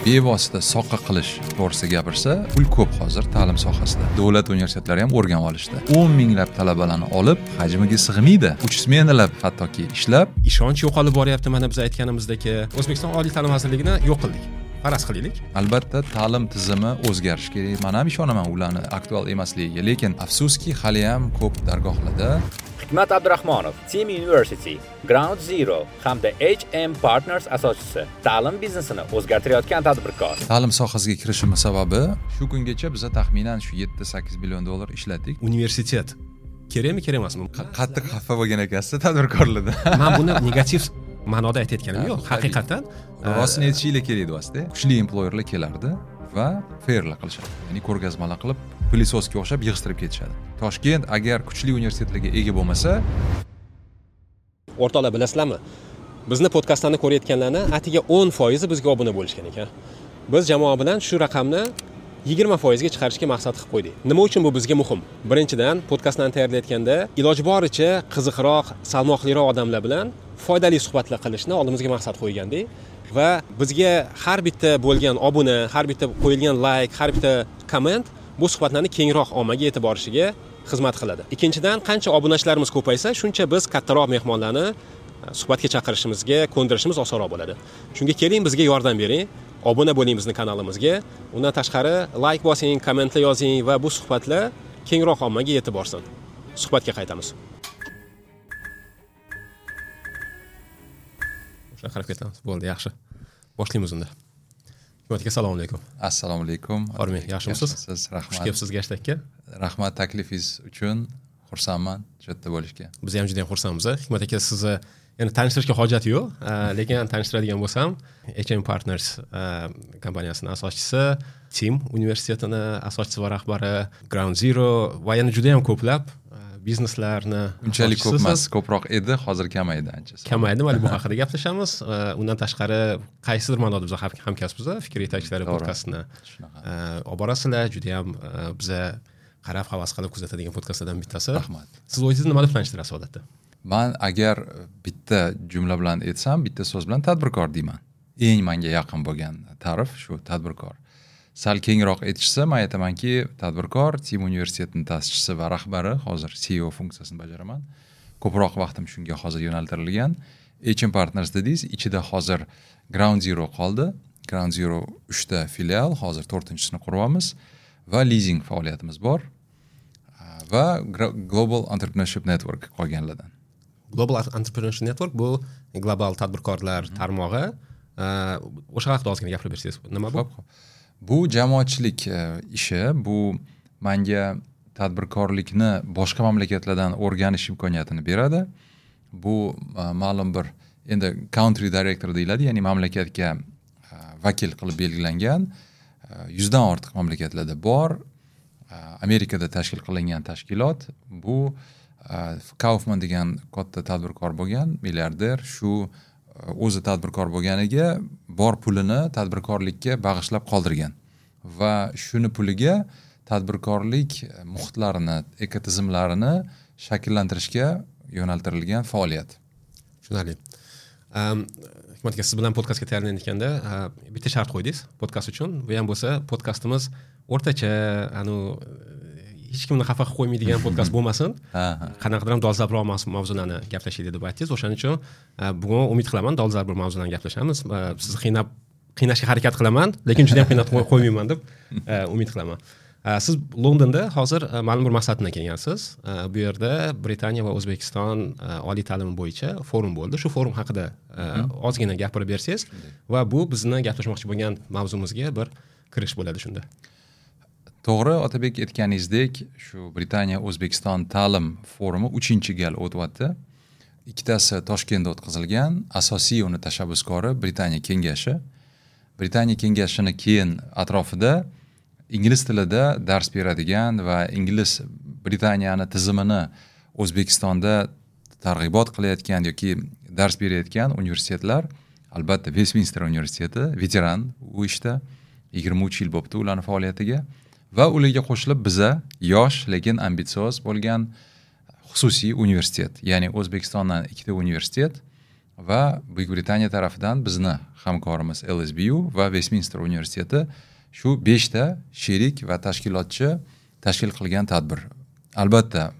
Bevosita soqqa qilish to'g'risida gapirsa, pul ko'p hozir ta'lim sohasida. Davlat universitetlari ham o'rganib olishdi. 10 minglab talabalarni olib, hajmiga sig'maydi. 3 smenalab hattoki ishlab, ishonch yo'qolib boryapti. Mana biz aytganimizdek, O'zbekiston Oliy ta'lim vazirligini yo'q qildik. Faraz qilaylik. Albatta ta'lim tizimi o'zgarishi kerak. Men ham ishonaman ularni aktual emasligiga, lekin afsuski hali ham ko'p dargohlarda. Hikmat Abdurahmonov, Team University, Ground Zero hamda HM Partners asoschisi, ta'lim biznesini o'zgartirayotgan tadbirkor. Ta'lim sohasiga kirishimiz sababi shu kungacha biz taxminan shu 7-8 million dollar ishlatdik. Universitet kerakmi, kerak emasmi? Qattiq xafa bo'lgan ekansiz tadbirkorlarda. Men buni negativ ma'noda aytayotganim yo'q, haqiqatan. Rostini aytishinglar kerak edi vosita. Kuchli employerlar kelardi va fairlar qilishadi. Ya'ni ko'rgazmalar qilib, pilisosga o'xshab yig'ishtirib ketishadi. Toshkent agar kuchli universitetlarga ega bo'lmasa, o'rtoqlar bilasizlarmi? Bizni podkastlarni ko'rayotganlarni atiga 10% bizga obuna bo'lishgan ekan. Biz jamoa bilan shu raqamni 20% ga chiqarishga maqsad qilib qo'ydik. Nima uchun bu bizga muhim? Birinchidan, podkastlarni tayyorlayotganda iloji boricha qiziqroq, salmoqliroq odamlar bilan foydali suhbatlar qilishni oldimizga maqsad qo'ygandik va bizga har bitta bo'lgan obuna, har bitta qo'yilgan like, har bitta komment bu suhbatlarni kengroq ommaga yetib borishiga xizmat qiladi. Ikkinchidan, qancha obunachilarimiz ko'paysa, shuncha biz kattaroq mehmonlarni suhbatga chaqirishimizga, ko'ndirishimiz osonroq bo'ladi. Shunga keling, bizga yordam bering, obuna bo'ling bizning kanalimizga. Undan tashqari like bosing, kommentlar yozing va bu suhbatlar kengroq ommaga yetib borsin. Suhbatga qaytamiz. O'sha qarab ketamiz. Bo'ldi, yaxshi. Boshlaymiz unda. Hikmat aka, assalomu alaykum. Assalomu alaykum. Hormang, yaxshimisiz? Rahmat. Xush kelibsiz Gashtakka. Rahmat taklifingiz uchun. Xursandman shu yerda bo'lishga. Biz ham juda ham xursandmiz. Hikmat aka, sizni yana tanishtirishga hojat yo'q, lekin tanishtiradigan bo'lsam, HM Partners kompaniyasining asoschisi, Team universitetini asoschisi va rahbari, Ground Zero va yana juda ham ko'plab bizneslarni unchalik ko'p emas, ko'proq edi, hozir kamaydi ancha. Kamaydi, mana bu haqida gaplashamiz. Undan tashqari qaysidir ma'noda biz hamkasbmiz, Fikr yetakchilari podkastini olib borasizlar, juda ham biza qarab havas qilib kuzatadigan podkastlardan bittasi. Rahmat. Siz o'zingizni nima deb tanishtirasiz odatda? Men agar bitta jumla bilan aytsam, bitta so'z bilan tadbirkor deyman. Eng menga yaqin bo'lgan ta'rif shu tadbirkor. Sal kengroq aytishsa, men aytamanki, tadbirkor, Team universitetining ta'sischisi va rahbari, hozir CEO funksiyasini bajaraman. Ko'proq vaqtim shunga hozir yo'naltirilgan. HM Partners dedingiz, ichida hozir Ground Zero qoldi. Ground Zero 3 ta filial, hozir 4-chisini quryapmiz va leasing faoliyatimiz bor va Global Entrepreneurship Network qolganlardan. Global Entrepreneurship Network bu global tadbirkorlar tarmog'i. O'sha haqida ozgina gapirib bersangiz, nima bu? Bu jamoatchilik ishi, bu menga tadbirkorlikni boshqa mamlakatlardan o'rganish imkoniyatini beradi. Bu ma'lum bir endi country director deyiladi, ya'ni mamlakatga vakil qilib belgilangan 100 dan ortiq mamlakatlarda bor. Amerikada tashkil qilingan tashkilot. Bu Kaufman degan katta tadbirkor bo'lgan, milliarder, shu o'zi tadbirkor bo'lganiga bor pulini tadbirkorlikka bag'ishlab qoldirgan va shuni puliga tadbirkorlik muhitlarini, ekotizimlarini shakllantirishga yo'naltirilgan faoliyat. Tushunarli. Hikmat aka, siz bilan podkastga tayyorlanayotganda bitta shart qo'ydingiz podkast uchun. Bu ham bo'lsa, podkastimiz o'rtacha, hech kimni xafa qilib qo'ymaydigan podkast bo'lmasin. Qanaqadir ham dolzarbroq mavzularni gaplashaylik deb aytdingiz. O'shaning uchun bugun umid qilaman dolzarb bir mavzularni gaplashamiz. Sizni qiynashga harakat qilaman, lekin juda ham qiynatib qo'ymayman deb umid qilaman. Siz Londonda hozir ma'lum bir maqsad bilan kelgansiz. Bu yerda Britaniya va O'zbekiston oliy ta'limi bo'yicha forum bo'ldi. Shu forum haqida ozgina gapirib bersangiz va bu bizni gaplashmoqchi bo'lgan mavzumizga bir kirish bo'ladi shunda. To'g'ri, Otabek aytganingizdek, shu Britaniya O'zbekiston ta'lim forumi 3-gal o'tyapti. Ikkitasi Toshkentda o'tkazilgan, asosiy uni tashabbuskori Britaniya kengashi. Britaniya kengashini keyin atrofida ingliz tilida dars beradigan va ingliz Britaniyani tizimini O'zbekistonda targ'ibot qilayotgan yoki dars berayotgan universitetlar, albatta Westminster universiteti veteran u ishda, 23 yil bo'pti ularning faoliyatiga. Va ularga qo'shilib biza yosh, lekin ambitsioz bo'lgan xususiy universitet, ya'ni O'zbekistondan 2 ta universitet, Va Buyuk Britaniya tarafidan bizni hamkorimiz LSBU va Westminster universiteti, shu 5 ta sherik va tashkilotchi tashkil qilgan tadbir. Albatta,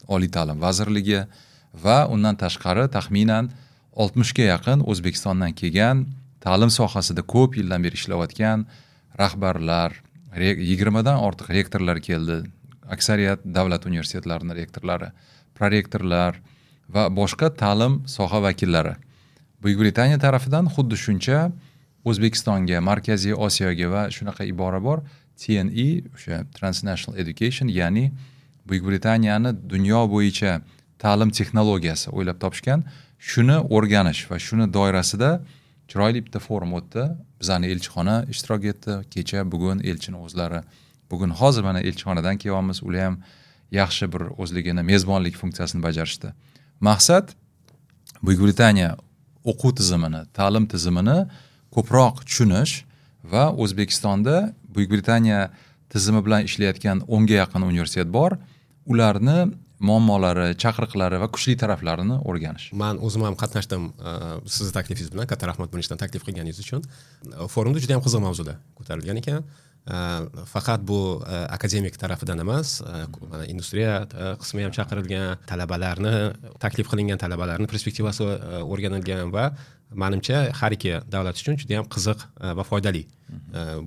Oliy ta'lim vazirligi va undan tashqari taxminan 60ga yaqin O'zbekistondan kelgan, ta'lim sohasida ko'p yildan beri ishlayotgan rahbarlar, 20dan ortiq rektorlar keldi, aksariyat davlat universitetlarini rektorlari, prorektorlar va boshqa ta'lim soha vakillari. Buyuk Britaniya tarafidan xuddi shuncha O'zbekistonga, Markaziy Osiyoga va shunaqa ibora bor, TNE, o'sha Transnational Education, ya'ni Buyuk Britaniyani dunyo bo'yicha ta'lim texnologiyasi o'ylab topishgan, shuni o'rganish va shuni doirasida chiroyli bitta forum o'tdi. Bizani elchixona ishtirok etdi kecha, bugun elchini o'zlari, bugun hozir mana elchixonadan kelyapmiz, ular ham yaxshi bir o'zligini mezbonlik funksiyasini bajarishdi. Maqsad Buyuk Britaniya o'quv tizimini, ta'lim tizimini ko'proq tushunish va O'zbekistonda Buyuk Britaniya tizimi bilan ishlayotgan 10ga yaqin universitet bor, ularni muammolari, chaqiriqlari va kuchli taraflarini o'rganish. Man o'zim ham qatnashdim sizni taklifingiz bilan. Katta rahmat buning uchun, taklif qilganingiz uchun. Forumda juda yam qiziq mavzular ko'tarilgan ekan. Faqat bu akademik tarafidan emas, mana industriya qismi ham chaqirilgan, talabalarni taklif qilingan, talabalarni perspektivasi o'rganilgan va manimcha, har ikki davlat uchun juda yam qiziq va foydali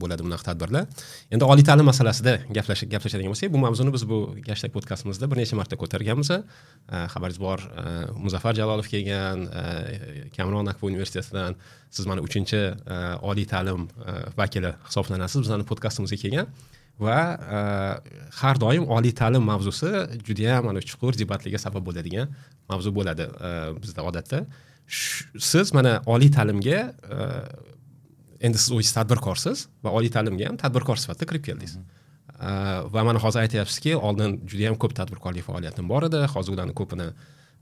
bo'ladi bunaqa tadbirlar. Endi oliy ta'lim masalasida gaplashadigan bo'lsak, bu mavzuni biz bu Gashtag podkastimizda bir necha marta ko'targanmiz. Xabaringiz bor, Muzaffar Jalolov kelgan Kamron Akfa universitetidan. Siz mana uchinchi oliy ta'lim vakili hisoblanasiz bizani podkastimizga kelgan va har doim oliy ta'lim mavzusi judayam mana chuqur debatlarga sabab bo'ladigan mavzu bo'ladi bizda odatda. Siz mana oliy ta'limga endi siz o'zingiz tadbirkorsiz va oliy ta'limga ham tadbirkor sifatida kirib keldingiz. Va mana hozir aytyapsizki, oldin juda yam ko'p tadbirkorlik faoliyatim bor edi, hozir ularni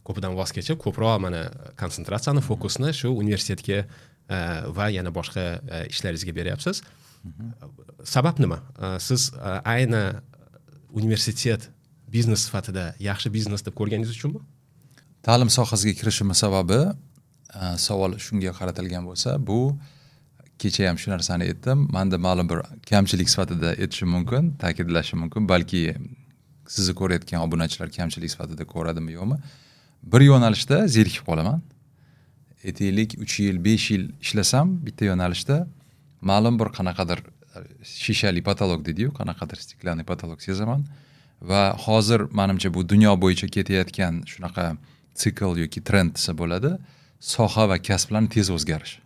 ko'pidan voz kechib, ko'proq mana konsentratsiyani, fokusni shu universitetga va yana boshqa ishlaringizga beryapsiz. Sabab nima? Siz ayni universitet biznes sifatida yaxshi biznes deb ko'rganingiz uchunmi? Ta'lim sohasiga kirishimni sababi, savol shunga qaratilgan bo'lsa, bu kecha ham shu narsani aytdim, manda ma'lum bir kamchilik sifatida aytishim mumkin, ta'kidlashim mumkin, balki sizni ko'rayotgan obunachilar kamchilik sifatida ko'radimi, yo'qmi, bir yo'nalishda zerikib qolaman. Aytaylik, 3 yil, 5 yil ishlasam bitta yo'nalishda, ma'lum bir qanaqadir shishali потолок deydiyu, qanaqadir стеклянный потолок sezaman. Va hozir manimcha, bu dunyo bo'yicha ketayotgan shunaqa sikl yoki trend desa bo'ladi, soha va kasblarni tez o'zgarishi.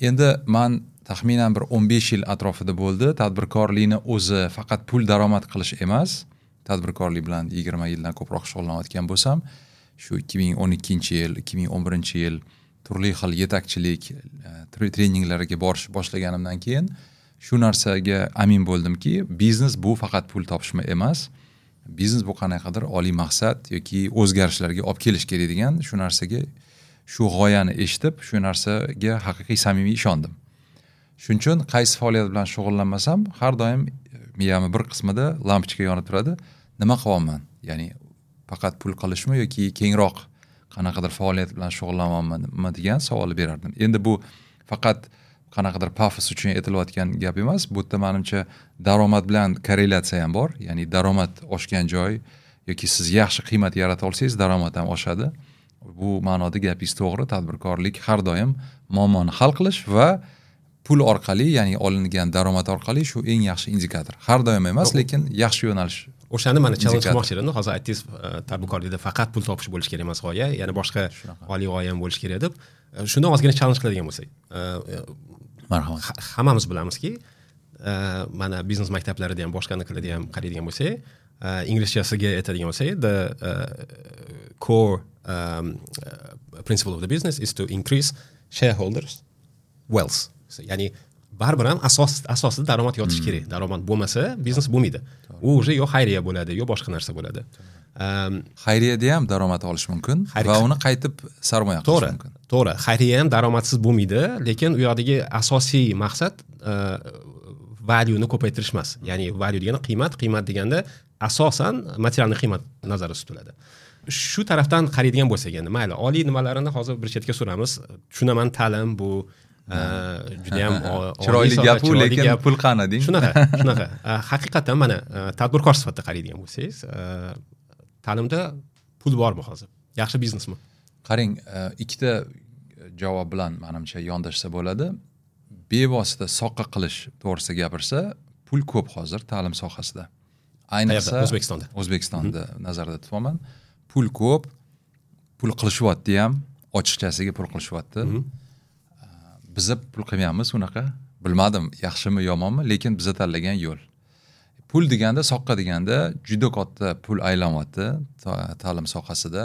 Endi man taxminan bir 15 yil atrofida bo'ldi, tadbirkorlikni o'zi faqat pul daromad qilish emas, tadbirkorlik bilan 20 yildan ko'proq shug'ullanayotgan bo'lsam, shu 2012-yil, 2011-yil turli xil yetakchilik treninglarga borish boshlaganimdan keyin shu narsaga amin bo'ldimki, biznes bu faqat pul topishma emas, biznes bu qanaqadir oliy maqsad yoki o'zgarishlarga olib kelish kerak degan shu narsaga, shu g'oyani eshitib, shu narsaga haqiqiy, samimiy ishondim. Shuning uchun qaysi faoliyat bilan shug'ullanmasam, har doim miyamni bir qismida lampochka yonib turadi: nima qilyapman, ya'ni faqat pul qilishmi yoki kengroq qanaqadir faoliyat bilan shug'ullanyapmanmi degan savolni berardim. Endi bu faqat qanaqadir pafos uchun aytilayotgan gap emas, bu yerda manimcha daromad bilan korrelyatsiya ham bor, ya'ni daromad oshgan joy yoki siz yaxshi qiymat yarata olsangiz, daromad ham oshadi. Bu ma'noda gapingiz to'g'ri, tadbirkorlik har doim muammoni hal qilish va pul orqali, ya'ni olingan daromad orqali, shu eng yaxshi indikator. Har doim emas, lekin yaxshi yo'nalish. O'shani mana challenge qilmoqchi edim. Hozir aytdingiz, tadbirkorlikda faqat pul topish bo'lishi kerak emas g'oya, yana boshqa oliy g'oya ham bo'lishi kerak deb. Shundan ozgina challenge qiladigan bo'lsak, Marhamat. Hammamiz bilamizki, mana biznes maktablarida ham, boshqanikilarda ham qaraydigan bo'lsak, inglizchasiga aytadigan bo'lsak, the core principle of the business is to increase shareholders wealth, ya'ni baribir ham asosida daromad yotishi kerak. Daromad bo'lmasa, biznes bo'lmaydi, u уже yo xayriya bo'ladi, yo boshqa narsa bo'ladi. Xayriyada ham daromad olish mumkin va uni qaytib sarmoya qilish mumkin. To'g'ri, xayriya ham daromadsiz bo'lmaydi, lekin u yoqdagi asosiy maqsad valueni ko'paytirish emas, ya'ni value degani qiymat, qiymat deganda asosan материальный qiymat nazarda tutiladi. Shu tarafdan qaraydigan bo'lsak, endi mayli, oliy nimalarini hozir bir chetga suramiz. Tushunaman, ta'lim bu juda ham chiroyli gap u, lekin pul qani deng. Shunaqa, shunaqa. Haqiqatan mana tadbirkor sifatida qaraydigan bo'lsangiz, ta'limda pul bormi hozir? Yaxshi biznesmi? Qarang, ikkita javob bilan menimcha yondashsa bo'ladi. Bevosita soqqa qilish to'g'risida gapirsa, pul ko'p hozir ta'lim sohasida. Ayniqsa O'zbekistonda. O'zbekistonda nazarda tutaman. Pul ko'p, pul qilishyapti ham, ochiqchasiga pul qilishyapti. Biza pul qilmayapmiz unaqa. Bilmadim, yaxshimi, yomonmi, lekin biza tanlagan yo'l. Pul deganda, soqqa deganda juda katta pul aylanyapti ta'lim sohasida.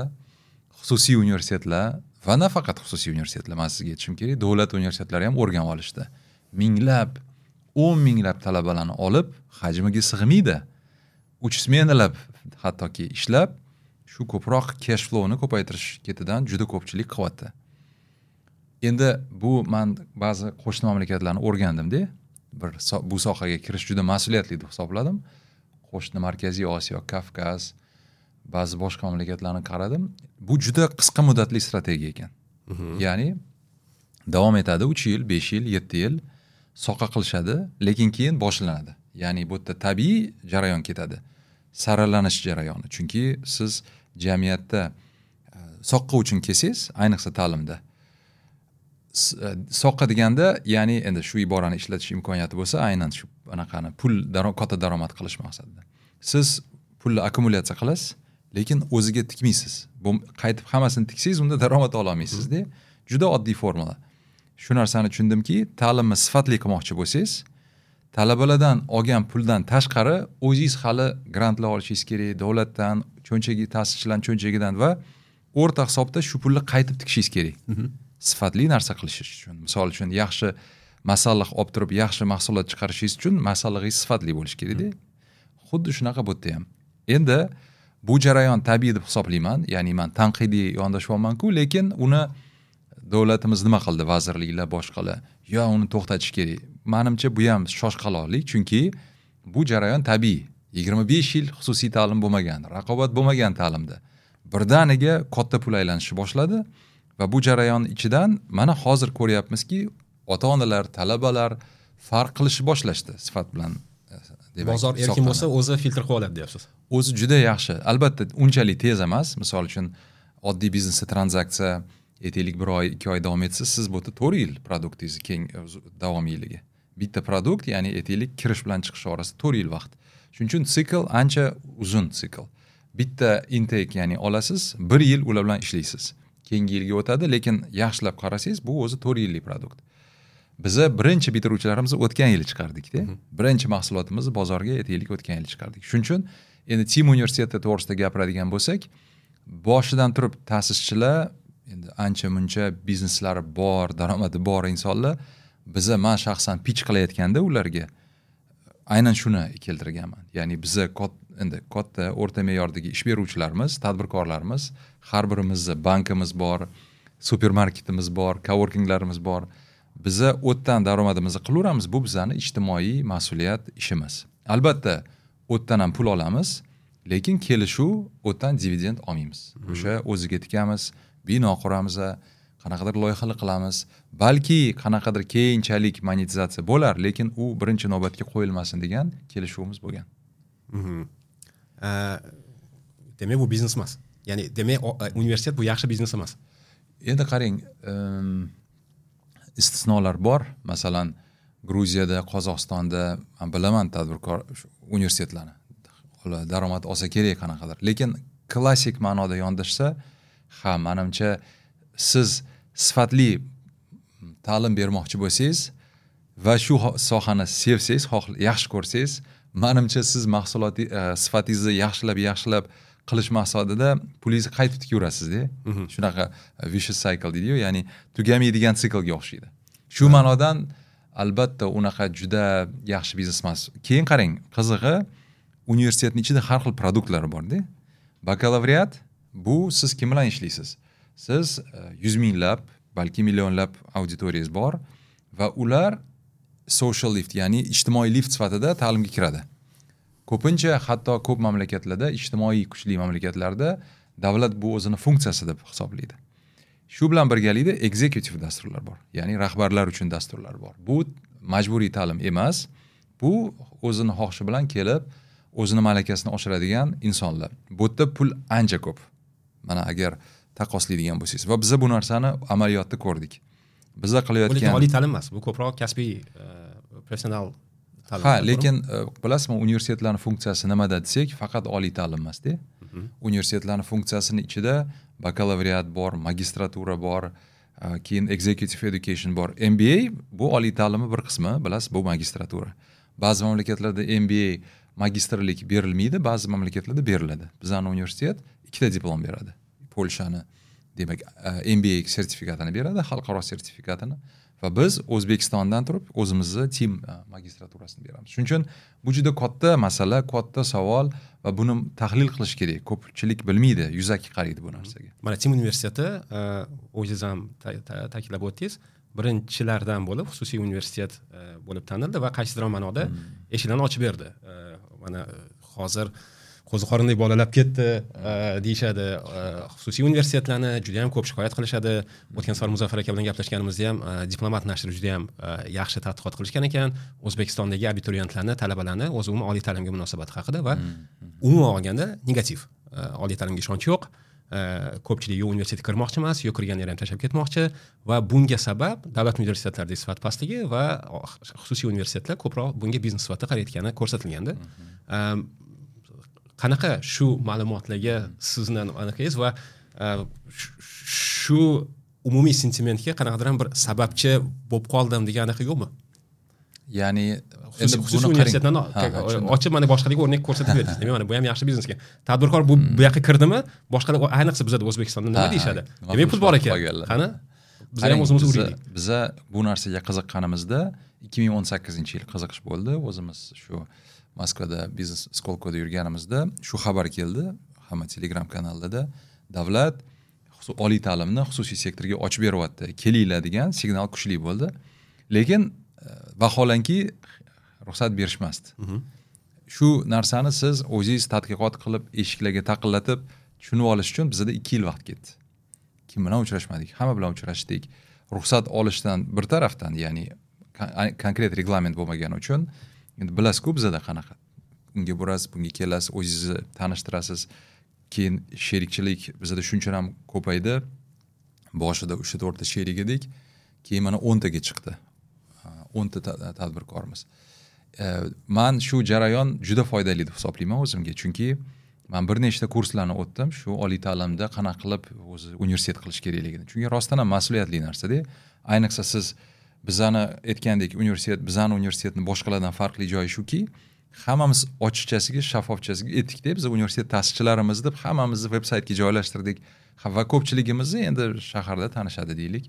Xususiy universitetlar va nafaqat xususiy universitetlar, men sizga aytishim kerak, davlat universitetlari ham o'rganib olishdi. Minglab, 10 minglab talabalarni olib, hajmiga sig'maydi. 3 smenalab hattoki ishlab, shu ko'proq cash flowni ko'paytirish ketidan juda ko'pchilik qilyapti. Endi bu men ba'zi qo'shni mamlakatlarni o'rgandimda, bir bu sohaga kirish juda mas'uliyatli deb hisobladim. Qo'shni Markaziy Osiyo, Kavkaz, ba'zi boshqa mamlakatlarni qaradim. Bu juda qisqa muddatli strategiya ekan. Ya'ni davom etadi 3 yil, 5 yil, 7 yil soqa qilishadi, lekin keyin boshlanadi. Ya'ni bu yerda tabiiy jarayon ketadi. Saralanish jarayoni. Chunki siz jamiyatda soqqa uchun kelsangiz, ayniqsa ta'limda. Soqqa deganda, ya'ni endi shu iborani ishlatish imkoniyati bo'lsa, aynan shu anaqani pul katta daromad qilish maqsadida. Siz pulni akkumulyatsiya qilasiz, lekin o'ziga tikmaysiz. Bu qaytib hammasini tiksangiz, unda daromad ola olmaysiz-da. Juda oddiy formula. Shu narsani tushundimki, ta'limni sifatli qilmoqchi bo'lsangiz, talabalardan olgan puldan tashqari o'zingiz hali grantlar olishingiz kerak, davlatdan, cho'nchagi ta'sischilarning cho'nchagidan va o'rta hisobda shu pulni qaytib tikishingiz kerak. Sifatli narsa qilishingiz uchun. Misol uchun, yaxshi masalliq olib turib, yaxshi mahsulot chiqarishingiz uchun masallig'ingiz sifatli bo'lishi kerak-da. Xuddi shunaqa bu yerda ham. Endi bu jarayon tabiiy deb hisoblayman, ya'ni men tanqidiy yondashyapman-ku, lekin uni davlatimiz nima qildi, vazirliklar, boshqalar, yo uni to'xtatish kerak. Menimcha bu ham shoshqaloqlik, chunki bu jarayon tabiiy. 25 yil xususiy ta'lim bo'lmagan, raqobat bo'lmagan ta'limda. Birdaniga katta pul aylanishi boshladi va bu jarayon ichidan mana hozir ko'ryapmizki, ota-onalar, talabalar farq qilishni boshlashdi sifat bilan. Demak, bozor erkin bo'lsa, o'zi filtr qilib oladi deyapsiz. O'zi juda yaxshi. Albatta, unchalik tez emas. Misol uchun, oddiy biznesda tranzaksiya aytaylik 1 oy, 2 oy davom etsa, siz bu yerda 4 yil produktingizni keng davomiyligi. Bitta produkt, ya'ni aytaylik kirish bilan chiqish orasida 4 yil vaqt. Shuning uchun sikl ancha uzun sikl. Bitta intake, ya'ni olasiz, 1 yil ular bilan ishlaysiz. Keyingi yilga o'tadi, lekin yaxshilab qarasangiz, bu o'zi 4 yillik produkt. Biza birinchi bitiruvchilarimizni o'tgan yili chiqardik-da. Birinchi mahsulotimizni bozorga aytaylik o'tgan yili chiqardik. Shuning uchun endi Team universiteti to'g'risida gapiradigan bo'lsak, boshidan turib ta'sischilar endi ancha-muncha bizneslari bor, daromadi bor insonlar, biza men shaxsan pitch qilayotganda ularga aynan shuni keltirganman. Ya'ni biza endi katta o'rta me'yordagi ish beruvchilarimiz, tadbirkorlarimiz, har birimizda bankimiz bor, supermarketimiz bor, coworkinglarimiz bor. Biza o'tdan daromadimizni qilaveramiz, bu bizani ijtimoiy mas'uliyat ishimiz. Albatta, o'tdan ham pul olamiz, lekin kelishuv o'tdan dividend olmaymiz. O'sha o'ziga tikamiz, bino quramiz, qanaqadir loyihalar qilamiz. Balki qanaqadir keyinchalik monetizatsiya bo'lar, lekin u birinchi navbatga qo'yilmasin degan kelishuvimiz bo'lgan. Demak, bu biznes emas. Ya'ni demak, universitet bu yaxshi biznes emas. Endi qarang, istisnolar bor. Masalan, Gruziyada, Qozog'istonda men bilaman tadbirkor universitetlarni. Ular daromad olsa kerak qanaqadir. Lekin klassik ma'noda yondashsa, ha, menimcha siz sifatli ta'lim bermoqchi bo'lsangiz va shu sohani sevsangiz, yaxshi ko'rsangiz, menimcha siz mahsulot sifatingizni yaxshilab qilish maqsadida pulingizni qaytib tikaverasiz-da. Shunaqa vicious cycle deydi-yu, ya'ni tugamaydigan siklga o'xshaydi. Shu ma'nodan albatta unaqa juda yaxshi biznes emas. Keyin qarang, qizig'i universitetning ichida har xil produktlar bor-da. Bakalavriat bu siz kim bilan ishlaysiz? Siz 100 minglab, balki millionlab auditoriyangiz bor va ular social lift, ya'ni ijtimoiy lift sifatida ta'limga kiradi. Ko'pincha hatto ko'p mamlakatlarda, ijtimoiy kuchli mamlakatlarda Davlat bu o'zini funksiyasi deb hisoblaydi. Shu bilan birgalikda executive dasturlar bor, ya'ni rahbarlar uchun dasturlar bor. Bu majburiy ta'lim emas, bu o'zini xohishi bilan kelib, o'zini malakasini oshiradigan insonlar. Bu yerda pul ancha ko'p. Mana agar taqqoslaydigan bo'lsangiz, va biza bu narsani amaliyotda ko'rdik. Biza qilayotgan bu oliy ta'lim emas, bu ko'proq kasbiy professional ta'lim. Ha, lekin bilasizmi, universitetlarning funksiyasi nimada desak, faqat oliy ta'lim emas-da. Universitetlarning funksiyasini ichida bakalavriat bor, magistratura bor, keyin executive education bor. MBA bu oliy ta'limni bir qismi, bilasiz, bu magistratura. Ba'zi mamlakatlarda MBA magistrlik berilmaydi, ba'zi mamlakatlarda beriladi. Bizning universitet ikkita diplom beradi. Polshani, demak, MBA sertifikatini beradi, xalqaro sertifikatini, va biz O'zbekistondan turib o'zimizni TEAM magistraturasini beramiz. Shuning uchun bu juda katta masala, katta savol va buni tahlil qilish kerak. Ko'pchilik bilmaydi, yuzaki qaraydi bu narsaga. Mana TEAM universiteti, o'zingiz ham ta'kidlab o'tdingiz, birinchilardan bo'lib xususiy universitet bo'lib tanildi va qaysidir ma'noda eshiklarni ochib berdi. Mana hozir qo'ziqorinday bolalab ketdi deyishadi. Xususiy universitetlarni juda ham ko'p shikoyat qilishadi. O'tgan safar Muzaffar aka bilan gaplashganimizda ham Diplomat nashri juda ham yaxshi tadqiqot qilishgan ekan. O'zbekistondagi abituriyentlarni, talabalarni o'zi umuman oliy ta'limga munosabati haqida va umuman olganda negativ. Oliy ta'limga ishonch yo'q. Ko'pchilik yo universitetga kirmoqchi emas, yo kirganlar ham tashlab ketmoqchi va bunga sabab davlat universitetlaridagi sifat pastligi va xususiy universitetlar ko'proq bunga biznes sifatida qarayotgani ko'rsatilgandi. Qanaqa shu ma'lumotlarga sizni anaqangiz va shu umumiy sentimentga qanaqadir ham bir sababchi bo'lib qoldim degan anaqa yo'qmi? Ya'ni xususiy universitetlarni ochib mana boshqalarga o'rnak ko'rsatib berdingiz. Demak, mana bu ham yaxshi biznes ekan. Tadbirkor bu yoqqa kirdimi, boshqalar ayniqsa bizada O'zbekistonda nima deyishadi? Demak, pul bor ekan. Qani biz ham o'zimiz uraylik. Biza bu narsaga qiziqqanimizda 2018-yil qiziqish bo'ldi. O'zimiz shu Moskvada biznes Skolkoda yurganimizda shu xabar keldi, hamma Telegram kanalida davlat oliy ta'limni xususiy sektorga ochib beryapti, kelinglar degan signal kuchli bo'ldi. Lekin vaholanki ruxsat berishmasdi. Shu narsani siz o'zingiz tadqiqot qilib, eshiklarga taqillatib tushunib olish uchun bizda 2 yil vaqt ketdi. Kim bilan uchrashmadik, hamma bilan uchrashdik. Ruxsat olishdan bir tarafdan, ya'ni konkret reglament bo'lmagani uchun, endi bilasiz-ku bizada qanaqa. Unga borasiz, bunga kelasiz, o'zingizni tanishtirasiz. Keyin sherikchilik bizada shuncha ham ko'paydi. Boshida 3-4 ta sherik edik, keyin mana 10 taga chiqdi. 10 ta tadbirkormiz. Man shu jarayon juda foydali deb hisoblayman o'zimga, chunki man bir nechta kurslarni o'tdim shu oliy ta'limda qanaqa qilib o'zi universitet qilish kerakligini. Chunki rostdan ham mas'uliyatli narsa-da. Ayniqsa siz bizani aytgandek universitet, bizani universitetni boshqalardan farqli joyi shuki, hammamiz ochiqchasiga, shaffofchasiga aytdik-da, biz universitet ta'sischilarimiz deb hammamizni veb-saytga joylashtirdik va ko'pchiligimizni endi shaharda tanishadi deylik.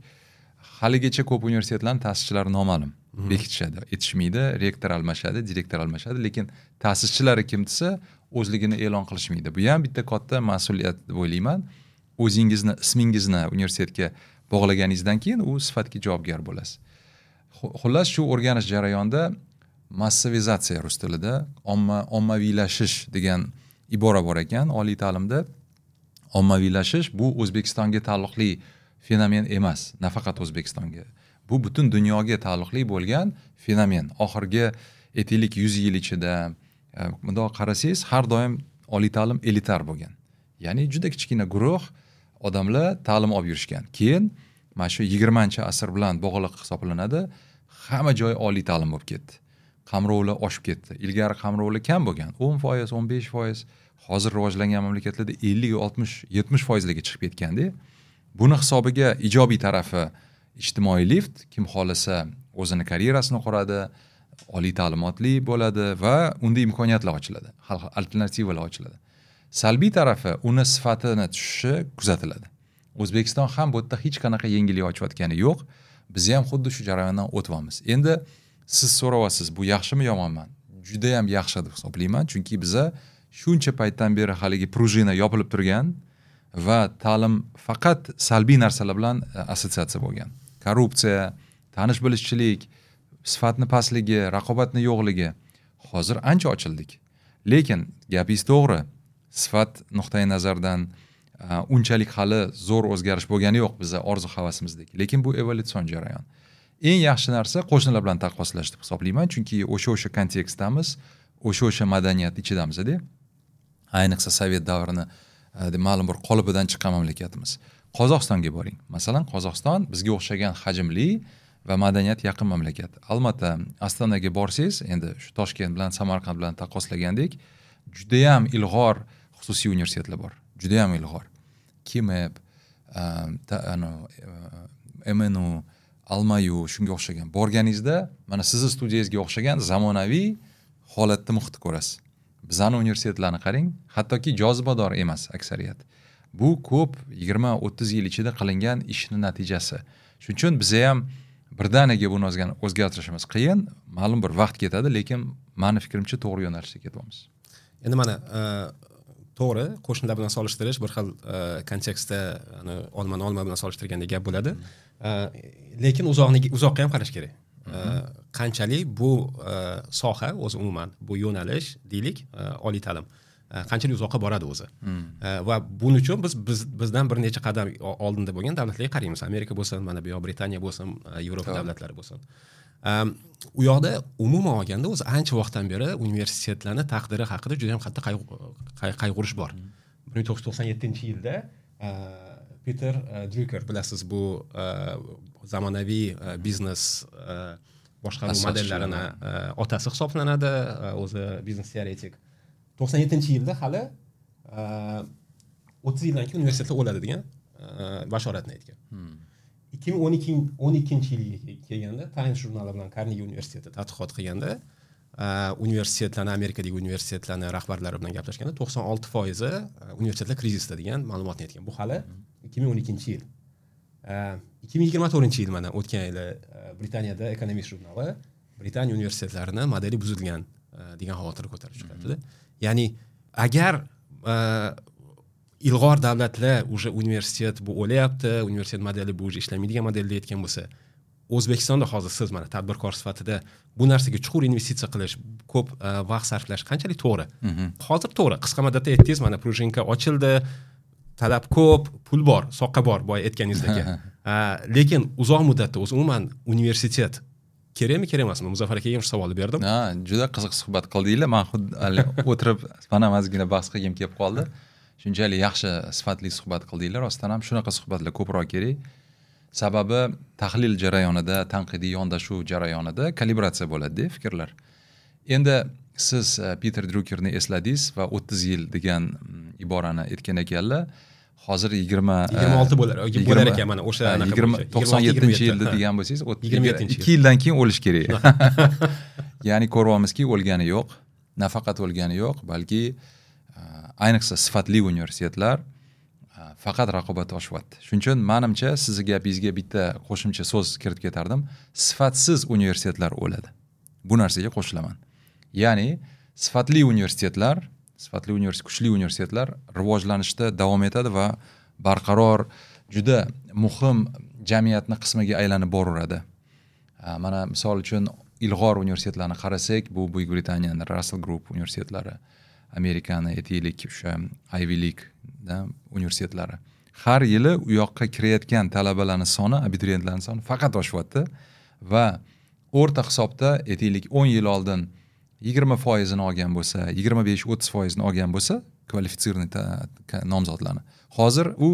Haligacha ko'p universitetlarning ta'sischilari noma'lum. Bekitishadi, aytishmaydi, rektor almashadi, direktor almashadi, lekin ta'sischilari kim desa o'zligini e'lon qilishmaydi. Bu ham bitta katta mas'uliyat deb o'ylayman. O'zingizni ismingizni universitetga bog'laganingizdan keyin u sifatga javobgar bo'lasiz. Xullas, shu o'rganish jarayonida massavizatsiya rus tilida ommaviylashish degan ibora bor ekan oliy ta'limda. Ommaviylashish bu O'zbekistonga taalluqli fenomen emas, nafaqat O'zbekistonga. Bu butun dunyoga taalluqli bo'lgan fenomen. Oxirgi aytaylik 100 yil ichida bundoq qarasangiz, har doim oliy ta'lim elitar bo'lgan. Ya'ni juda kichkina guruh odamlar ta'lim olib yurishgan. Keyin mana shu 20-asr bilan bog'liq hisoblanadi. Hamma joy oliy ta'lim bo'lib ketdi. Qamrovlar oshib ketdi. Ilgari qamrovlar kam bo'lgan, 10%, 15%. Hozir rivojlangan mamlakatlarda 50, 60, 70%larga chiqib ketganda, buni hisobiga ijobiy tarafi ijtimoiy lift, kim xohlasa o'zini karyerasini quradi, oliy ta'limotli bo'ladi va unda imkoniyatlar ochiladi, alternativalar ochiladi. Salbiy tarafi uni sifatini tushishi kuzatiladi. O'zbekiston ham bu yerda hech qanaqa yengillik ochayotgani yo'q. Biz ham xuddi shu jarayondan o'tyapmiz. Endi siz so'rayapsiz, bu yaxshimi yomonmi? Juda ham yaxshi deb hisoblayman, chunki biza shuncha paytdan beri haligi prujina yopilib turgan va ta'lim faqat salbiy narsalar bilan assotsiatsiya bo'lgan. Korrupsiya, tanish bilishchilik, sifatni pastligi, raqobatni yo'qligi. Hozir ancha ochildik. Lekin gapingiz to'g'ri. Sifat nuqtai nazardan, Unchalik hali zo'r o'zgarish bo'lgani yo'q biza orzu havasimizdek. Lekin bu evolyutsion jarayon. Eng yaxshi narsa qo'shnilar bilan taqqoslash deb hisoblayman, chunki o'sha kontekstdamiz, o'sha madaniyat ichidamiz-da. Ayniqsa sovet davrini ma'lum bir qolipidan chiqqan mamlakatimiz. Qozog'istonga boring. Masalan, Qozog'iston bizga o'xshagan hajmli va madaniyat yaqin mamlakat. Albatta, Ostonaga borsangiz, endi shu Toshkent bilan Samarqand bilan taqqoslagandek, juda ham ilg'or xususiy universitetlar bor. Juda ham ilg'or. KIMEP, MNU, Almayu shunga o'xshagan. Borganingizda mana sizni studiyangizga o'xshagan zamonaviy holatda muhitni ko'rasiz. Bizani universitetlarni qarang, hattoki jozibador emas aksariyat. Bu ko'p 20-30 yil ichida qilingan ishning natijasi. Shuning uchun biza ham birdaniga buni o'zgartirishimiz qiyin, ma'lum bir vaqt ketadi, lekin meni fikrimcha to'g'ri yo'nalishda ketyapmiz. Endi mana to'g'ri, qo'shnilar bilan solishtirish bir xil kontekstda olmani olma bilan solishtirganda gap bo'ladi. Lekin uzoqqa ham qarash kerak. Qanchalik bu soha o'zi umuman bu yo'nalish deylik, oliy ta'lim qanchalik uzoqqa boradi o'zi. Va buning uchun biz bizdan bir necha qadam oldinda bo'lgan davlatlarga qaraymiz. Amerika bo'lsin, mana bu yoq Britaniya bo'lsin, Yevropa davlatlari bo'lsin. U yoqda umuman olganda o'zi ancha vaqtdan beri universitetlarning taqdiri haqida juda ham qattiq qayg'urish bor. 1997-yilda Peter Drucker, bilasiz, bu zamonaviy biznes boshqaruv modellarini otasi hisoblanadi, o'zi biznes teoretik. 97-yilda hali 30 yildan keyin universitetlar o'ladi degan bashoratni aytgan. 2012-yilga kelganda Times jurnali bilan Carnegie universiteti tadqiqot qilganda, universitetlarni, Amerikadagi universitetlarni rahbarlari bilan gaplashganda 96% universitetlar krizisda degan ma'lumotni aytgan. Bu hali 2012-yil. 2024-yil mana o'tgan yili Britaniyada Economist jurnali Britaniya universitetlarini modeli buzilgan degan xavotir ko'tarib chiqyapti. Ya'ni agar ilg'or davlatlar уже universitet bu o'layapti, universitet modeli bu уже ishlamaydigan model deyotgan bo'lsa, O'zbekistonda hozir siz mana tadbirkor sifatida bu narsaga chuqur investitsiya qilish, ko'p vaqt sarflash qanchalik to'g'ri? Hozir to'g'ri, qisqa muddatda aytdingiz, mana prujinka ochildi, talab ko'p, pul bor, soqqa bor, boya aytganingizdek. Lekin uzoq muddatda o'zi umuman universitet kerakmi, kerak emasmi? Muzaffar akaga ham shu savolni berdim. Ha, juda qiziq suhbat qildinglar. Men xuddi o'tirib mana ozgina bahs qilgim kelib qoldi. Shunchalik yaxshi sifatli suhbat qildinglar. Rostdan ham shunaqa suhbatlar ko'proq kerak. Sababi tahlil jarayonida, tanqidiy yondashuv jarayonida kalibratsiya bo'ladi-da fikrlar. Endi siz Peter Druckerni esladingiz va 30 yil degan iborani aytgan ekanlar. Hozir 26 bo'lar ekan mana o'sha anaqa 97-yilda degan bo'lsangiz, 2 yildan keyin o'lish kerak. Ya'ni ko'ryapmizki, o'lgani yo'q. Nafaqat o'lgani yo'q, balki ayniqsa sifatli universitetlar faqat raqobat oshyapti. Shuning uchun menimcha sizni gapingizga bitta qo'shimcha so'z kiritib ketardim. Sifatsiz universitetlar o'ladi. Bu narsaga qo'shilaman. Ya'ni sifatli universitetlar, sifatli universitet, kuchli universitetlar rivojlanishda davom etadi va barqaror, juda muhim jamiyatning qismiga aylanib boraveradi. Mana misol uchun ilg'or universitetlarni qarasak, bu Buyuk Britaniyaning Russell Group universitetlari, Amerikani aytaylik o'sha Ivy League universitetlari. Har yili u yoqqa kirayotgan talabalarning soni, abituriyentlarning soni faqat oshyapti va o'rta hisobda aytaylik 10 yil oldin 20%ni olgan bo'lsa, 25-30%ni olgan bo'lsa, kvalifitsirованный nomzodlarni. Hozir u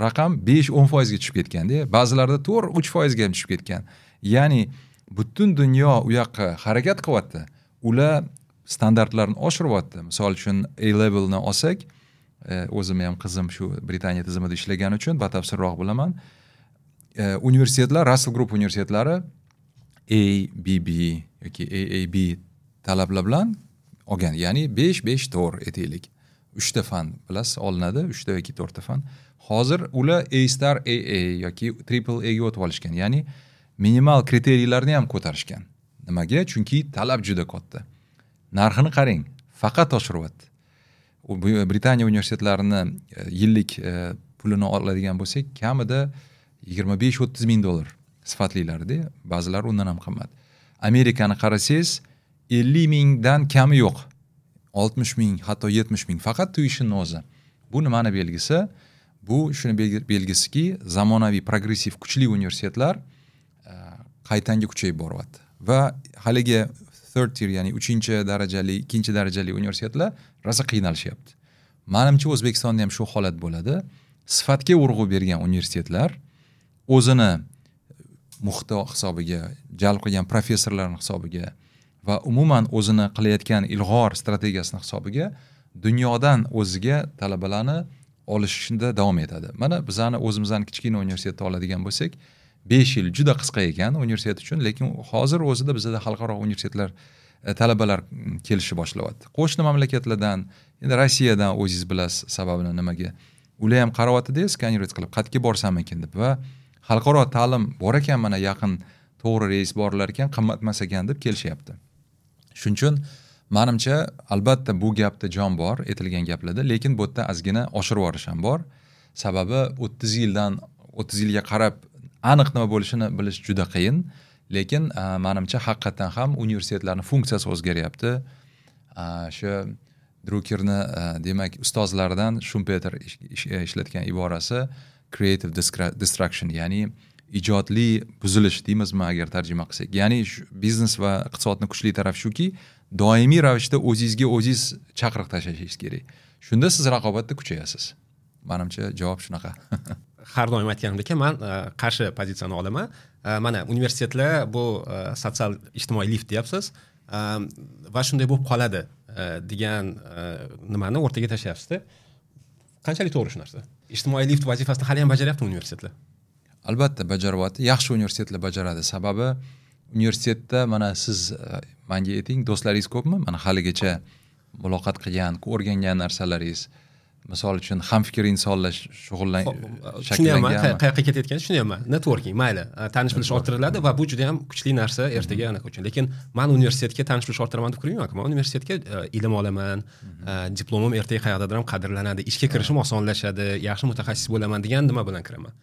raqam 5-10% ga tushib ketganda, ba'zilarda 4-3% ga ham tushib ketgan. Ya'ni butun dunyo u yoqqa harakat qilyapti. Ular standartlarni oshiryapti. Misol uchun A levelni olsak, o'zim ham qizim shu Britaniya tizimida ishlagani uchun batafsilroq bilaman. Universitetlar, Russell Group universitetlari A, B, B yoki AAB talablar bilan olgan. Ya'ni 5, 5, 4 aytaylik. 3 ta fan bilasiz olinadi, 3 ta yoki 4 ta fan. Hozir ular A star AA yoki triple A ga o'tib olishgan. Ya'ni minimal kriteriylarni ham ko'tarishgan. Nimaga? Chunki talab juda katta. Narxini qarang, faqat oshiryapti. Britaniya universitetlarini yillik pulini oladigan bo'lsak, kamida 25-30 ming dollar sifatlilarida, ba'zilari undan ham qimmat. Amerikani qarasangiz 50 mingdan kami yo'q. 60 ming, hatto 70 ming faqat tuition o'zi. Bu nimani belgisi? Bu shuni belgisiki, zamonaviy progressiv kuchli universitetlar qaytanga kuchayib boryapti. Va haligi third tier, ya'ni 3-darajali, 2-darajali universitetlar rosa qiynalishyapti. Manimcha O'zbekistonda ham shu holat bo'ladi. Sifatga urg'u bergan universitetlar o'zini muhiti hisobiga, jalb qilgan professorlarning hisobiga va umuman o'zini qilayotgan ilg'or strategiyasini hisobiga dunyodan o'ziga talabalarni olishda davom etadi. Mana bizani o'zimizning kichkina universitetni oladigan bo'lsak, 5 yil juda qisqa ekan universitet uchun, lekin hozir o'zida bizda xalqaro universitetlar talabalar kelishni boshlayapti. Qo'shni mamlakatlardan, endi Rossiyadan o'zingiz bilasiz sababini nimaga. Ular ham qaryapti-da, skanировать qilib, qayerga borsam ekan deb va xalqaro ta'lim bor ekan, mana yaqin to'g'ri reys borlar ekan, qimmat emas ekan deb kelishyapti. Shuning uchun manimcha albatta bu gapda jon bor, aytilgan gaplarda, lekin bu yerda ozgina oshirib yuborish ham bor. Sababi 30 yildan 30 yilga qarab aniq nima bo'lishini bilish juda qiyin, lekin manimcha haqiqatan ham universitetlarning funksiyasi o'zgaryapti. Shu Drukerni demak ustozlaridan Shumpeter ishlatgan iborasi creative destruction, ya'ni ijodli buzilish deymizmi agar tarjima qilsak. Ya'ni biznes va iqtisodni kuchli tarafi shuki, doimiy ravishda o'zingizga o'zingiz chaqiriq tashlashingiz kerak. Shunda siz raqobatda kuchayasiz. Manimcha javob shunaqa. Har doim aytganimdek, men qarshi pozitsiyani olaman. Mana universitetlar bu sotsial ijtimoiy lift deyapsiz va shunday bo'lib qoladi degan nimani o'rtaga tashlayapsiz-da. Qanchalik to'g'ri shu narsa? Ijtimoiy lift vazifasini hali ham bajaryapti universitetlar? Albatta bajaryapti. Yaxshi universitetlar bajaradi. Sababi universitetda mana siz menga ayting, do'stlaringiz ko'pmi? Mana haligacha muloqot qilgan, o'rgangan narsalaringiz, misol uchun hamfikr insonlar shakllanganmi? Qayerga ketayotganini tushunyapman. Networking, mayli, tanish bilish orttiriladi va bu juda ham kuchli narsa ertaga anaqa uchun. Lekin men universitetga tanish bilish orttiraman deb kirmayman. Men universitetga ilm olaman, diplomim ertaga qayerdadir ham qadrlanadi, ishga kirishim osonlashadi, yaxshi mutaxassis bo'laman degan nima bilan kiraman.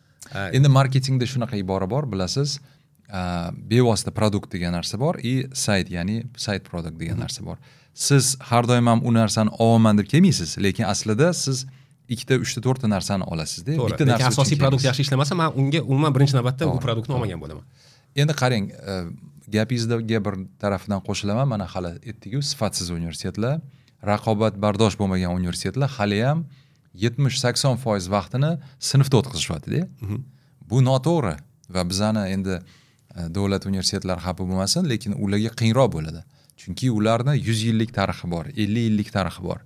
Endi marketingda shunaqa ibora bor, bilasiz, bevosita produkt degan narsa bor и sayt, ya'ni sayt produkt degan narsa bor. Siz har doim ham u narsani olaman deb kelmaysiz, lekin aslida siz 2 ta, 3 ta, 4 ta narsani olasizda. Bitta narsa asosiy produkt yaxshi ishlamasa, men unga umuman birinchi navbatda u produktni olmagan bo'laman. Endi qarang, gapingizga bir tarafidan qo'shilaman. Mana hali aytdik-ku, sifatsiz universitetlar, raqobatbardosh bo'lmagan universitetlar hali ham 70-80% vaqtini sinfda o'tkazishyapti-da. Bu noto'g'ri va bizani endi davlat universitetlari xafa bo'lmasin, lekin ularga qiyinroq bo'ladi. Chunki ularni 100 yillik tarixi bor, 50 yillik tarixi bor.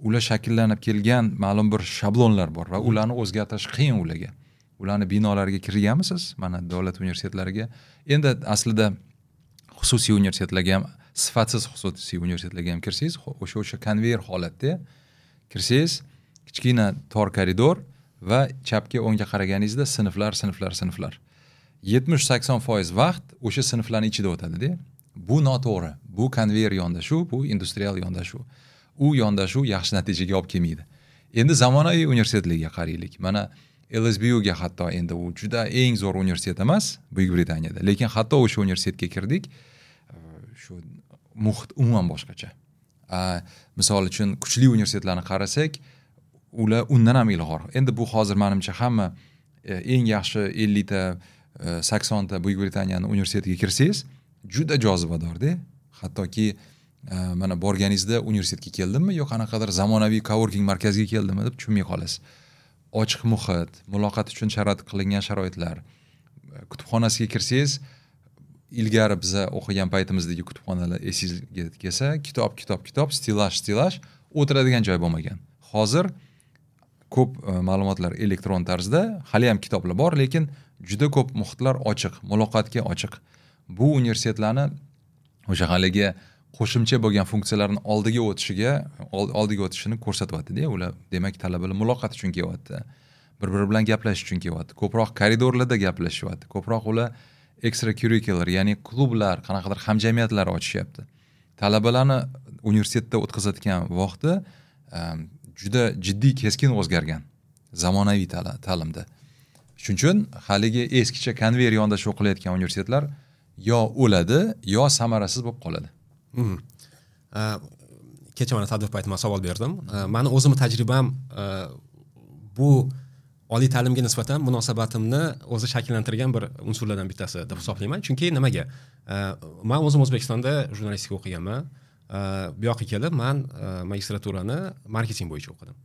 Ular shakllanib kelgan ma'lum bir shablonlar bor va ularni o'zgartirish qiyin ularga. Ularni binolariga kirganmisiz? Mana davlat universitetlariga. Endi aslida xususiy universitetlarga ham, sifatsiz xususiy universitetlarga ham kirsangiz, o'sha konveyer holatda kirsangiz, kichkina tor koridor va chapga o'ngga qaraganingizda sinflar, sinflar, sinflar. 70-80% vaqt o'sha sinflarning ichida o'tadi-da. Bu noto'g'ri. Bu konveyer yondashuv, bu industrial yondashuv. U yondashuv yaxshi natijaga olib kelmaydi. Endi zamonaviy universitetlarga qaraylik. Mana LSBUga hatto endi u juda eng zo'r universitet emas Buyuk Britaniyada, lekin hatto o'sha universitetga kirdik, shu muhit umuman boshqacha. Misol uchun kuchli universitetlarni qarasak, ular undan ham ilg'or. Endi bu hozir menimcha hamma eng yaxshi 50 ta, 80 ta Buyuk Britaniyaning universitetiga kirsangiz, juda jozibador-da. Hattoki mana borganingizda universitetga keldimmi yo qanaqadir zamonaviy coworking markaziga keldimmi deb tushunmay qolasiz. Ochiq muhit, muloqot uchun sharoit qilingan sharoitlar. Kutubxonasiga kirsangiz, ilgari biza o'qigan paytimizdagi kutubxonalar esingizga kelsa, kitob, kitob, kitob, stilaj, stilaj, o'tiradigan joy bo'lmagan. Hozir ko'p ma'lumotlar elektron tarzda, hali ham kitoblar bor, lekin juda ko'p muhitlar ochiq, muloqotga ochiq. Bu universitetlarni o'sha haligi qo'shimcha bo'lgan funksiyalarni oldiga o'tishini ko'rsatyapti-da. Ular demak talabalar muloqot uchun kelyapti, bir-biri bilan gaplashish uchun kelyapti, ko'proq koridorlarda gaplashyapti, ko'proq ular extracurricular, ya'ni klublar, qanaqadir hamjamiyatlar ochishyapti. Talabalarni universitetda o'tkazayotgan vaqti juda jiddiy keskin o'zgargan zamonaviy ta'limda. Shuning uchun haligi eskicha konveyer yondashuv qilayotgan universitetlar yo o'ladi, yo samarasiz bo'lib qoladi. Kecha mana tadbir payti men savol berdim. Mani o'zimni tajribam bu oliy ta'limga nisbatan munosabatimni o'zi shakllantirgan bir unsurlardan bittasi deb hisoblayman. Chunki nimaga? Man o'zim O'zbekistonda jurnalistika o'qiganman. Bu yoqqa kelib man magistraturani marketing bo'yicha o'qidim.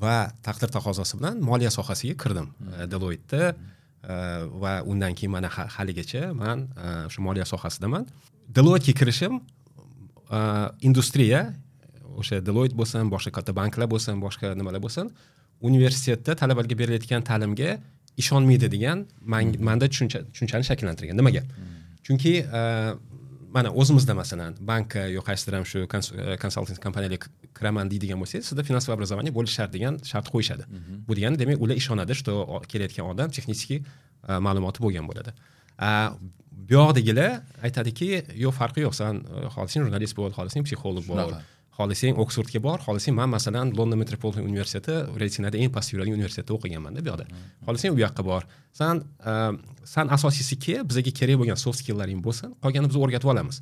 Va taqdir taqozosi bilan moliya sohasiga kirdim. Deloitte va undan keyin mana haligacha man shu moliya sohasidaman. Deloittega kirishim industriya, o'sha Deloitte bo'lsin, boshqa katta banklar bo'lsin, boshqa nimalar bo'lsin, universitetda talabalarga berilayotgan ta'limga ishonmaydi degan menda tushunchani shakllantirgan. Nimaga? Chunki mana o'zimizda masalan bankka yo qaysidir ham shu konsalting kompaniyalarga kiraman deydigan bo'lsangiz, sizda финансовое образование bo'lishi shart degan shart qo'yishadi. Bu degani demak ular ishonadi, что kelayotgan odam texnik ma'lumoti bo'lgan bo'ladi. Bu yoqdagilar aytadiki, yo'q, farqi yo'q, san xohlasang jurnalist bo'l, xohlasang psixolog bo'l, xohlasang Oksfordga bor, xohlasang man masalan London Metropolitan universiteti reytinglarda eng past yuradigan universitetda o'qiganman-da bu yoqda. Xohlasang u yoqqa bor. San asosiysi bizga kerak bo'lgan soft skill'laring bo'lsin, qolganini biz o'rgatib olamiz.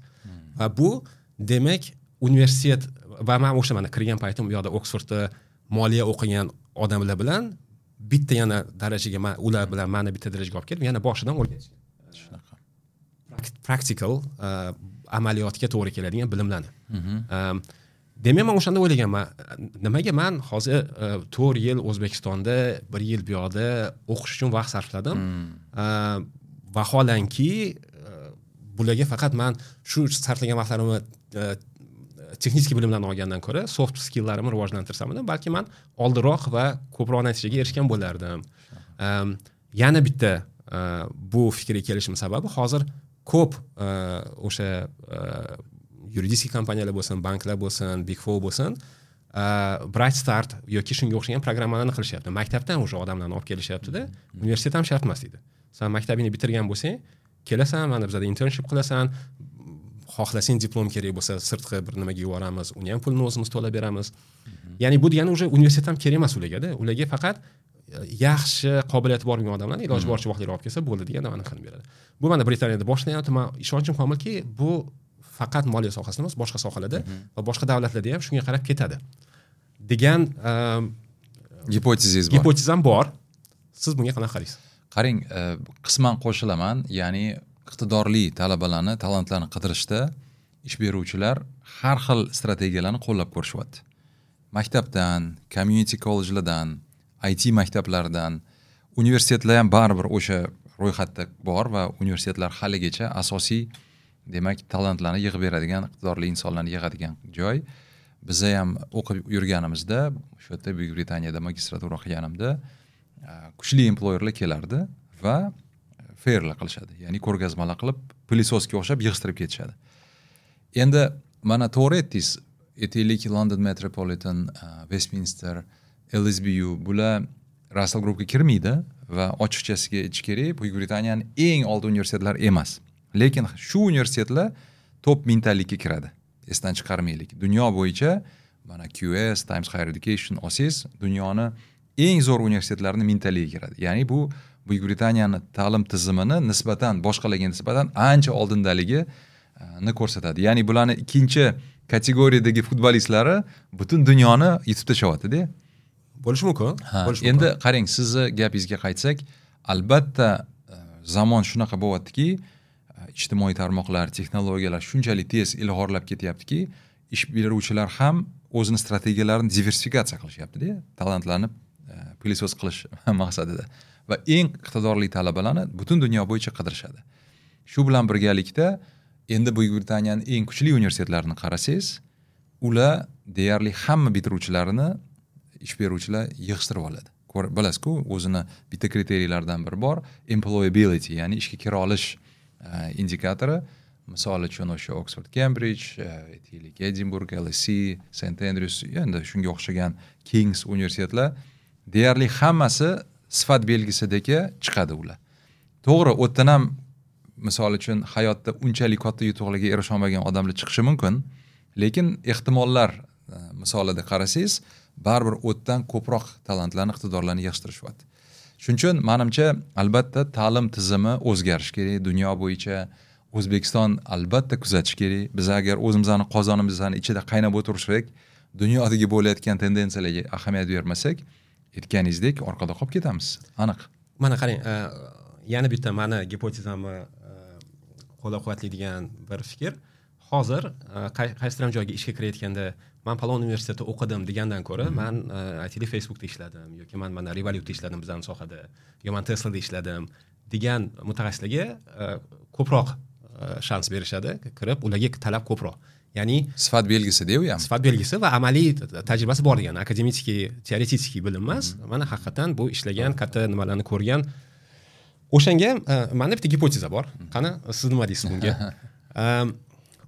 Va bu demak universitet va men o'sha mana kirgan paytim u yoqda Oksfordda moliya o'qigan odamlar bilan bitta yana darajaga ular bilan meni bitta darajaga olib kelib, yana boshidan o'rgatishgan. Shunaqa. Practical amaliyotga to'g'ri keladigan bilimlarni. Demak, men o'shanda o'ylaganman, nimaga men hozir 4 yil O'zbekistonda, 1 yil bu yoqda o'qish uchun vaqt sarfladim. Vaholanki bularga faqat men shu sarflagan vaqtlarimni texnik bilimlarni olgandan ko'ra soft skill'larimni rivojlantirsam edi, balki men oldinroq va ko'proq natijaga erishgan bo'lardim. Yana bitta bu fikrga kelishim sababi hozir ko'p o'sha yuridik kompaniyalar bo'lsin, banklar bo'lsin, Big Four bo'lsin, Bright Start yoki shunga o'xshagan programmalarni qilishyapti. Maktabdan o'sha odamlarni olib kelishyapti-da, universitet ham shart emas deydi. Sen maktabingni bitirgan bo'lsang, kelasan, mana bizada internship qilasan, xohlasang diplom kerak bo'lsa, sirtqi bir nimaga yuboramiz, uni ham pulini o'zimiz to'lab beramiz. Ya'ni bu degani o'sha universitet ham kerak emas ularga-da. Ularga faqat yaxshi qobiliyati bor bo'lgan odamlarni iloji boricha vaqtliroq olib kelsa bo'ldi degan nimani qilib beradi. Bu mana Britaniyada boshlanyapti. Men ishonchim komilki, bu faqat moliya sohasida emas, boshqa sohalarda va boshqa davlatlarda ham shunga qarab ketadi degan gipotezingiz bor. Gipotezam bor. Siz bunga qanaqa qaraysiz? Qarang, qisman qo'shilaman. Ya'ni iqtidorli talabalarni, talantlarni qidirishda ish beruvchilar har xil strategiyalarni qo'llab ko'rishyapti. Maktabdan, community college'lardan, IT maktablaridan, universitetlar ham baribir o'sha ro'yxatda bor va universitetlar haligacha asosiy demak talantlarni yig'ib beradigan, iqtidorli insonlarni yig'adigan joy. Biza ham o'qib yurganimizda, o'sha yerda Buyuk Britaniyada magistratura qilganimda kuchli employerlar kelardi va fairlar qilishadi. Ya'ni ko'rgazmalar qilib, pылесосga o'xshab yig'ishtirib ketishadi. Endi mana to'g'ri aytdingiz, aytaylik London Metropolitan, Westminster, LSBU bular Russell Groupga kirmaydi va ochiqchasiga aytish kerak, Buyuk Britaniyaning eng oldi universitetlari emas. Lekin shu universitetlar top mingtalikka kiradi. Esdan chiqarmaylik. Dunyo bo'yicha mana QS, Times Higher Education olsangiz, dunyoni eng zo'r universitetlarini mingtaligiga kiradi. Ya'ni bu Buyuk Britaniyani ta'lim tizimini nisbatan boshqalarga nisbatan ancha oldindaligini ko'rsatadi. Ya'ni bularni ikkinchi kategoriyadagi futbolistlari butun dunyoni yutib tashyapti-da. Bo'lishi mumkin. Endi qarang, sizni gapingizga qaytsak, albatta zamon shunaqa bo'lyaptiki, ijtimoiy tarmoqlar, texnologiyalar shunchalik tez ilg'orlab ketyaptiki, ish beruvchilar ham o'zini strategiyalarini diversifikatsiya qilishyapti-da, talantlarni pылесос qilish maqsadida va eng iqtidorli talabalarni butun dunyo bo'yicha qidirishadi. Shu bilan birgalikda endi Buyuk Britaniyaning eng kuchli universitetlarini qarasangiz, ular deyarli hamma bitiruvchilarini ish beruvchilar yig'ishtirib oladi. Bilasiz-ku, o'zini bitta kriteriyalardan biri bor, employability, ya'ni ishga kira olish indikatori. Misol uchun o'sha Oxford, Cambridge, aytaylik Edinburgh, LSE, St Andrews, endi shunga o'xshagan King's universitetlar deyarli hammasi sifat belgisidagi chiqadi ular. To'g'ri, u yerdan ham misol uchun hayotda unchalik katta yutuqlarga erisha olmagan odamlar chiqishi mumkin, lekin ehtimollar misolida qarasangiz, baribir u yerdan ko'proq talantlarni, iqtidorlarni yig'ishtirishyapti. Shuning uchun menimcha albatta ta'lim tizimi o'zgarishi kerak dunyo bo'yicha. O'zbekiston albatta kuzatish kerak. Biz agar o'zimizni qozonimizni ichida qaynab o'tirsak, dunyodagi bo'layotgan tendensiyalarga ahamiyat bermasak, Aytganingizdek orqada qolib ketamiz, aniq. Mana qarang, yana bitta mani gipotezamni qo'llab-quvvatlaydigan bir fikr. Hozir qaysidir ham joyga ishga kirayotganda man falon universitetda o'qidim degandan ko'ra, man aytaylik Facebookda ishladim yoki man mana Revolutda ishladim bizning sohada, yo man Teslada ishladim degan mutaxassislarga ko'proq shans berishadi, kirib ularga talab ko'proq. Ya'ni sifat belgisi u ham. Sifat belgisi va amaliy tajribasi bor degan, akademik, teoretik bilim emas. Mana haqiqatan bu ishlagan, katta nimalarni ko'rgan. O'shanga menda bitta gipoteza bor. Qani, siz nima deysiz bunga?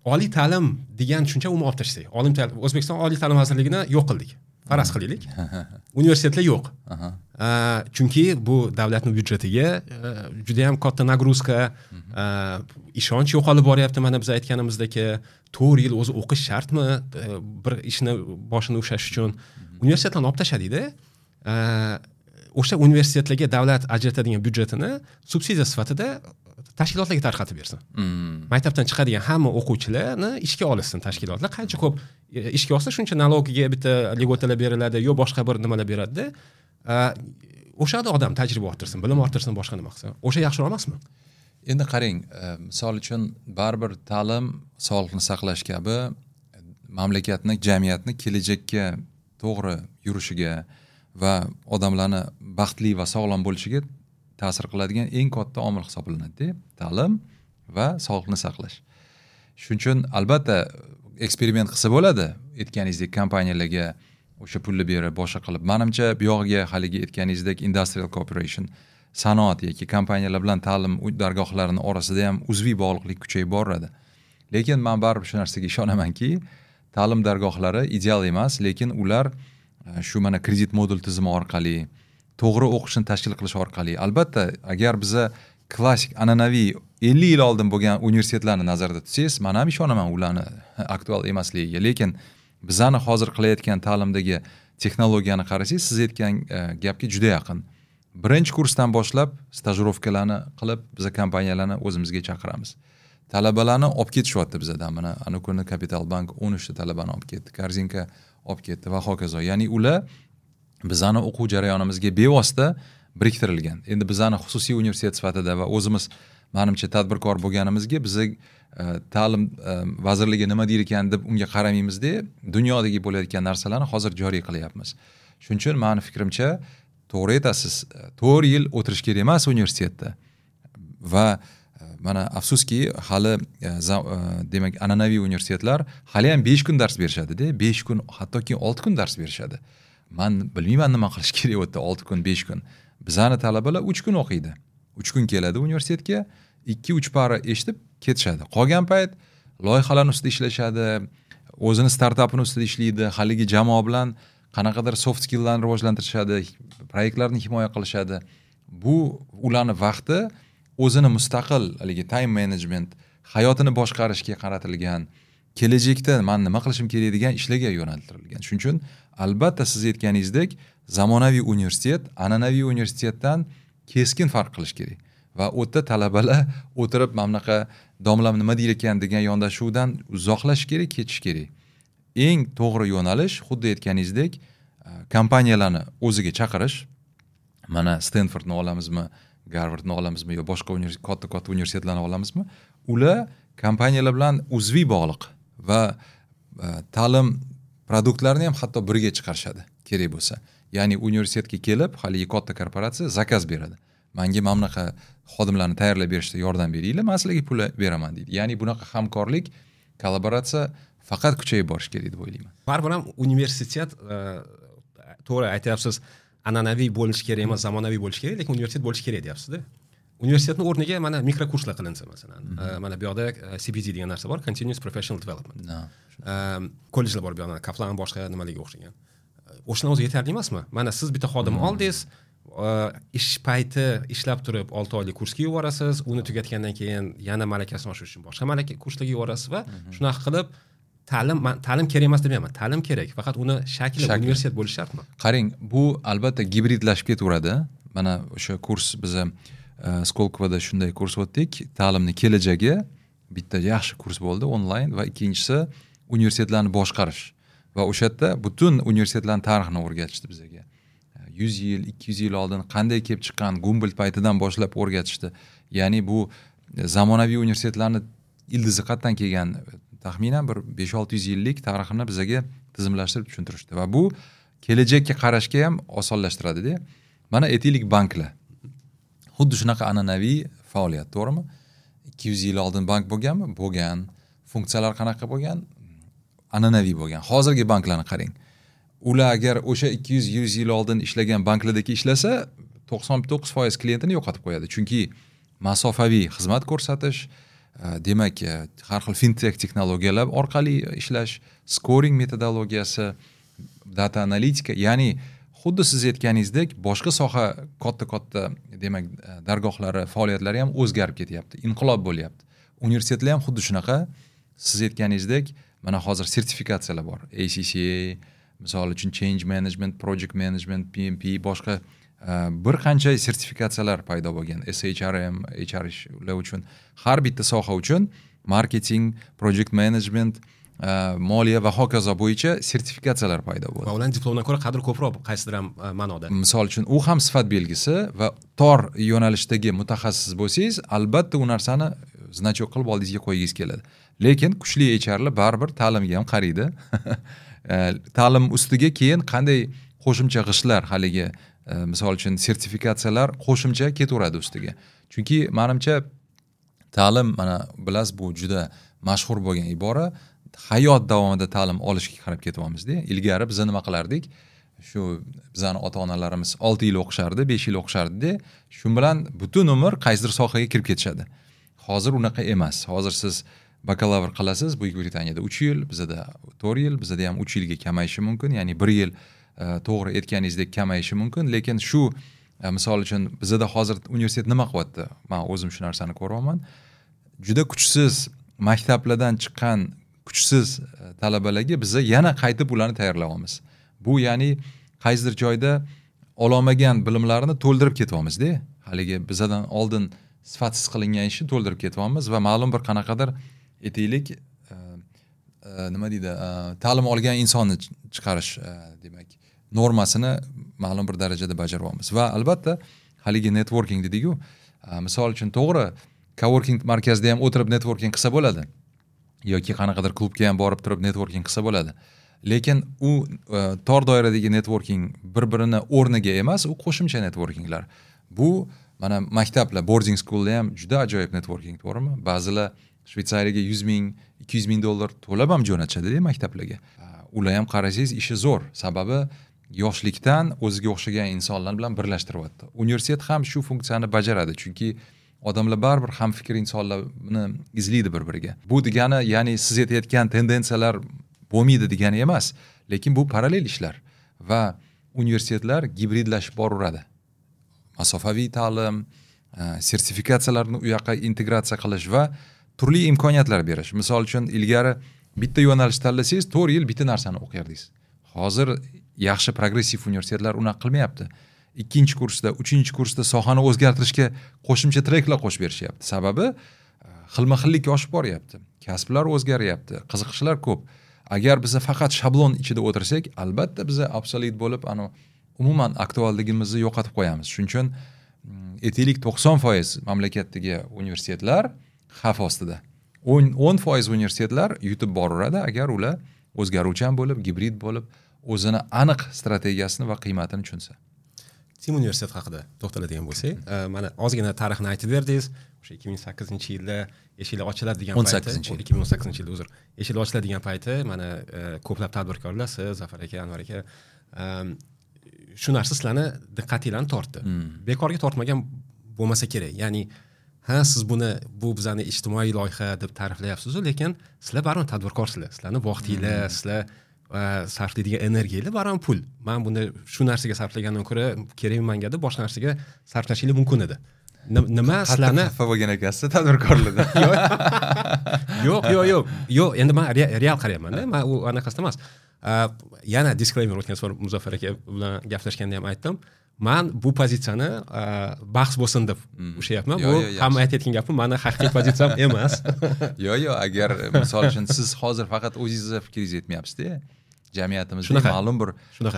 Oliy ta'lim degan tushuncha umuman olib tashlasak. O'zbekiston Oliy ta'lim vazirligini yo'q qildik. Faraz qilaylik. Universitetlar yo'q. Chunki bu davlatning byudjetiga juda ham katta nagruzka, ishonch yo'qolib boryapti. Mana biz aytganimizdek, 4 yil o'zi o'qish shartmi bir ishni boshini ushlash uchun? Universitetlarni olib tashladikda, o'sha universitetlarga davlat ajratadigan byudjetini subsidiya sifatida tashkilotlarga tarqatib bersin. Maktabdan chiqadigan hamma o'quvchilarni ishga olsin tashkilotlar. Qancha ko'p ishga olsa, shuncha налог iga bitta льгота lar beriladi, yo boshqa bir nimalar beriladi. O'shada odam tajriba orttirsin, bilim orttirsin, boshqa nima qilsin. O'sha yaxshiroq emasmi? Endi qarang, misol uchun baribir ta'lim, sog'liqni saqlash kabi mamlakatni, jamiyatni kelajakka to'g'ri yurishiga va odamlarni baxtli va sog'lom bo'lishiga ta'sir qiladigan eng katta omil hisoblanadi, ta'lim va sog'liqni saqlash. Shuning uchun albatta eksperiment qilsa bo'ladi, aytganingizdek kompaniyalarga o'sha pulni berib, boshqa qilib. Menimcha bu yog'iga haligi aytganingizdek industrial cooperation, sanoat yoki kompaniyalar bilan ta'lim dargohlarining orasida ham uzviy bog'liqlik kuchayib boradi. Lekin men baribir shu narsaga ishonamanki, ta'lim dargohlari ideal emas, lekin ular shu mana kredit modul tizimi orqali to'g'ri o'qishni tashkil qilish orqali, albatta agar biza klassik an'anaviy 50 yil oldin bo'lgan universitetlarni nazarda tutsangiz, men ham ishonaman ularni aktual emasligiga. Lekin bizani hozir qilayotgan ta'limdagi texnologiyani qarasangiz, siz aytgan gapga juda yaqin. Birinchi kursdan boshlab stajirovkalarni qilib, biza kompaniyalarni o'zimizga chaqiramiz. Talabalarni olib ketishyapti bizadan. Mana ana kuni Capital Bank 13 ta talabani olib ketdi, Korzinka olib ketdi va hokazo. Ya'ni ular bizani o'quv jarayonimizga bevosita biriktirilgan. Endi bizani xususiy universitet sifatida va o'zimiz menimcha tadbirkor bo'lganimizga biza ta'lim vazirligi nima deyir ekan deb unga qaramaymizda, dunyodagi bo'layotgan narsalarni hozir joriy qilyapmiz. Shuning uchun meni fikrimcha to'g'ri aytasiz, 4 yil o'tirish kerak emas universitetda. Va mana afsuski hali demak an'anaviy universitetlar hali ham 5 kun dars berishadi-da, 5 kun, hattoki 6 kun dars berishadi. Men bilmayman nima qilish kerak u yerda 6 kun, 5 kun. Bizani talabalar 3 kun o'qiydi. 3 kun keladi universitetga, 2-3 para eshitib ketishadi. Qolgan payt loyihalarning ustida ishlashadi, o'zini startapini ustida ishlaydi, haligi jamoa bilan qanaqadir soft skilllarni rivojlantirishadi, proyektlarni himoya qilishadi. Bu ularni vaqti o'zini mustaqil haligi time management, hayotini boshqarishga qaratilgan, kelajakda men nima qilishim kerak degan ishlarga yo'naltirilgan. Shuning uchun albatta siz aytganingizdek zamonaviy universitet an'anaviy universitetdan keskin farq qilish kerak. Va u yerda talabalar o'tirib mana bunaqa domlam nima deyir ekan degan yondashuvdan uzoqlashish kerak, ketish kerak. Eng to'g'ri yo'nalish xuddi aytganingizdek kompaniyalarni o'ziga chaqirish. Mana Stanfordni olamizmi, Garvardni olamizmi yo boshqa katta-katta universitetlarni olamizmi? Ular kompaniyalar bilan uzviy bog'liq va ta'lim produktlarini ham hatto birga chiqarishadi kerak bo'lsa. Ya'ni universitetga kelib, haligi katta korporatsiya zakaz beradi. Menga mana bunaqa xodimlarni tayyorlab berishda yordam beringlar, men sizlarga pul beraman deydi. Ya'ni bunaqa hamkorlik, kollaboratsiya faqat kuchayib borishi kerak deb o'ylayman. Baribir ham universitet to'g'ri aytyapsiz, an'anaviy bo'lishi kerak emas, zamonaviy bo'lishi kerak, lekin universitet bo'lishi kerak deyapsiz-da. Universitetning o'rniga mana mikrokurslar qilinsa masalan. Mana bu yoqda CPD degan narsa bor, Continuous Professional Development. Kollejlar bor bu yoqda, Kaplan boshqa nimalarga o'xshagan. O'shani o'zi yetarli emasmi? Mana siz bitta xodim oldingiz, ish payti ishlab turib 6 oylik kursga yuborasiz, uni tugatgandan keyin yana malakasini oshirish uchun boshqa malaka kurslarga yuborasiz va shunaqa qilib ta'lim kerak emas demayman, ta'lim kerak, faqat uni shakli universitet bo'lishi shartmi? Qarang, bu albatta gibridlashib ketaveradi. Mana o'sha kurs biza Skolkovoda shunday kurs o'tdik. Ta'limning kelajagi bitta yaxshi kurs bo'ldi onlayn va ikkinchisi universitetlarni boshqarish. Va o'sha yerda butun universitetlarning tarixini o'rgatishdi bizga. 100 yil, 200 yil oldin qanday kelib chiqqan, Gumboldt paytidan boshlab o'rgatishdi. Ya'ni bu zamonaviy universitetlarni ildizi qayerdan kelgan, taxminan bir 5-600 yillik tarixini bizaga tizimlashtirib tushuntirishdi va bu kelajakka qarashga ham osonlashtiradi-da. Mana aytaylik banklar. Xuddi shunaqa an'anaviy faoliyat, to'g'rimi? 200 yil oldin bank bo'lganmi? Bo'lgan. Funksiyalar qanaqa bo'lgan? An'anaviy bo'lgan. Hozirgi banklarni qarang. Ular agar o'sha 200-100 yil oldin ishlagan banklardagi ishlasa, 99% klientini yo'qotib qo'yadi. Chunki masofaviy xizmat ko'rsatish, demak, har xil fintech texnologiyalar orqali ishlash, scoring metodologiyasi, data analitika, ya'ni xuddi siz aytganingizdek boshqa soha katta-katta demak dargohlari, faoliyatlari ham o'zgarib ketyapti, inqilob bo'lyapti. Universitetlar ham xuddi shunaqa, siz aytganingizdek, mana hozir sertifikatsiyalar bor. ACCA, misol uchun Change Management, Project Management, PMP, boshqa bir qancha sertifikatsiyalar paydo bo'lgan. SHRM, HR ishlar uchun, har bitta soha uchun marketing, project management, moliya va hokazo bo'yicha sertifikatsiyalar paydo bo'ldi. Va ularning diplomdan ko'ra qadri ko'proq qaysidir ham ma'noda. Misol uchun, u ham sifat belgisi va tor yo'nalishdagi mutaxassis bo'lsangiz, albatta u narsani значок qilib oldingizga qo'ygingiz keladi. Lekin kuchli HRlar baribir ta'limga ham qaraydi. Ta'lim ustiga keyin qanday qo'shimcha g'ishtlar, haligi misol uchun sertifikatsiyalar qo'shimcha ketaveradi ustiga. Chunki menimcha ta'lim, mana bilasiz, bu juda mashhur bo'lgan ibora, hayot davomida ta'lim olishga qarab ketyapmiz-da. Ilgari biz nima qilardik? Shu bizani ota-onalarimiz 6 yil o'qishardi, 5 yil o'qishardi-da, shu bilan butun umr qaysidir sohaga kirib ketishadi. Hozir unaqa emas. Hozir siz bakalavr qilasiz, Buyuk Britaniyada 3 yil, bizada 4 yil, bizada ham 3 yilga kamayishi mumkin. Ya'ni 1 yil to'g'ri aytganingizdek kamayishi mumkin, lekin shu misol uchun bizada hozir universitet nima qilyapti? Men o'zim shu narsani ko'ryapman. Juda kuchsiz maktablardan chiqqan kuchsiz talabalarga biza yana qaytib ularni tayyorlayapmiz. Bu ya'ni qaysidir joyda ololmagan bilimlarini to'ldirib ketyapmiz-da. Haligi bizadan oldin sifatsiz qilingan ishni to'ldirib ketyapmiz va ma'lum bir qanaqadir aytaylik nima deydi, ta'lim olgan insonni chiqarish demak normasini ma'lum bir darajada bajaryapmiz. Va albatta haligi networking dedik-ku, misol uchun to'g'ri coworking markazida ham o'tirib networking qilsa bo'ladi yoki qanaqadir klubga ham borib turib networking qilsa bo'ladi. Lekin u tor doiradagi networking bir-birini o'rniga emas, u qo'shimcha networkinglar. Bu mana maktablar, boarding schoolda ham juda ajoyib networking, to'g'rimi? Ba'zilar Shvetsariyaga 100 ming, 200 ming dollar to'lab ham jo'natishadi maktablarga. Ular ham qarasangiz ishi zo'r, sababi yoshlikdan o'ziga o'xshagan insonlar bilan birlashtiryapti. Universitet ham shu funksiyani bajaradi, chunki odamlar baribir hamfikr insonlarni izlaydi bir-biriga. Bu degani, ya'ni siz aytayotgan tendensiyalar bo'lmaydi degani emas, lekin bu parallel ishlar va universitetlar gibridlashib boraveradi. Masofaviy ta'lim, sertifikatsiyalarni u yoqqa integratsiya qilish va turli imkoniyatlar berish. Misol uchun ilgari bitta yo'nalish tanlasangiz 4 yil bitta narsani o'qiyardingiz. Hozir yaxshi progressiv universitetlar unaqa qilmayapti. 2-kursda, 3-kursda sohani o'zgartirishga qo'shimcha treklar qo'shib berishyapti. Sababi xilma-xillik oshib boryapti. Kasblar o'zgaryapti, qiziqishlar ko'p. Agar biz faqat shablon ichida o'tirsak, albatta biz obsolet bo'lib, umuman aktualligimizni yo'qotib qo'yamiz. Shuning uchun aytaylik 90% mamlakatdagi universitetlar xavf ostida. 10% universitetlar yutib boraveradi agar ular o'zgaruvchan bo'lib, gibrid bo'lib, o'zini aniq strategiyasini va qiymatini tushunsa. Tim universitet haqida to'xtaladigan bo'lsak, mana ozgina tarixini aytib berdingiz. O'sha 2008-yilda eshiklar ochiladi degan payti, 2018-yilda uzr, eshiklar ochiladi degan payti mana ko'plab tadbirkorlar, siz, Zafar aka, Anvar aka, shu narsa sizlarni diqqatinglarni tortdi. Bekorga tortmagan bo'lmasa kerak. Ya'ni ha, siz buni bu bizani ijtimoiy loyiha deb ta'riflayapsiz-u, lekin sizlar baribir tadbirkorsizlar. Sizlarni vaqtinglar, sizlar sarflaydigan energiyalar baribir pul. Men buni shu narsaga sarflagandan ko'ra kerakmi menga deb boshqa narsaga sarflashingiz mumkin edi. Nima sizlarni xafa bo'lgan ekansiz tadbirkorlardan? Yo'q, yo'q, yo'q. Yo'q, endi men real qarayapman-da. Men u anaqasida emas. Yana disclaimer, o'tgan safar Muzaffar aka bilan gaplashganda ham aytdim. Men bu pozitsiyani bahs bo'lsin deb ushlayapman. Bu hamma aytayotgan gapim meni haqiqiy pozitsiyam emas. Yo'q, yo'q, agar misol uchun siz hozir faqat o'zingizni fikringizni aytmayapsiz-da. Jamiyatimizda ma'lum bir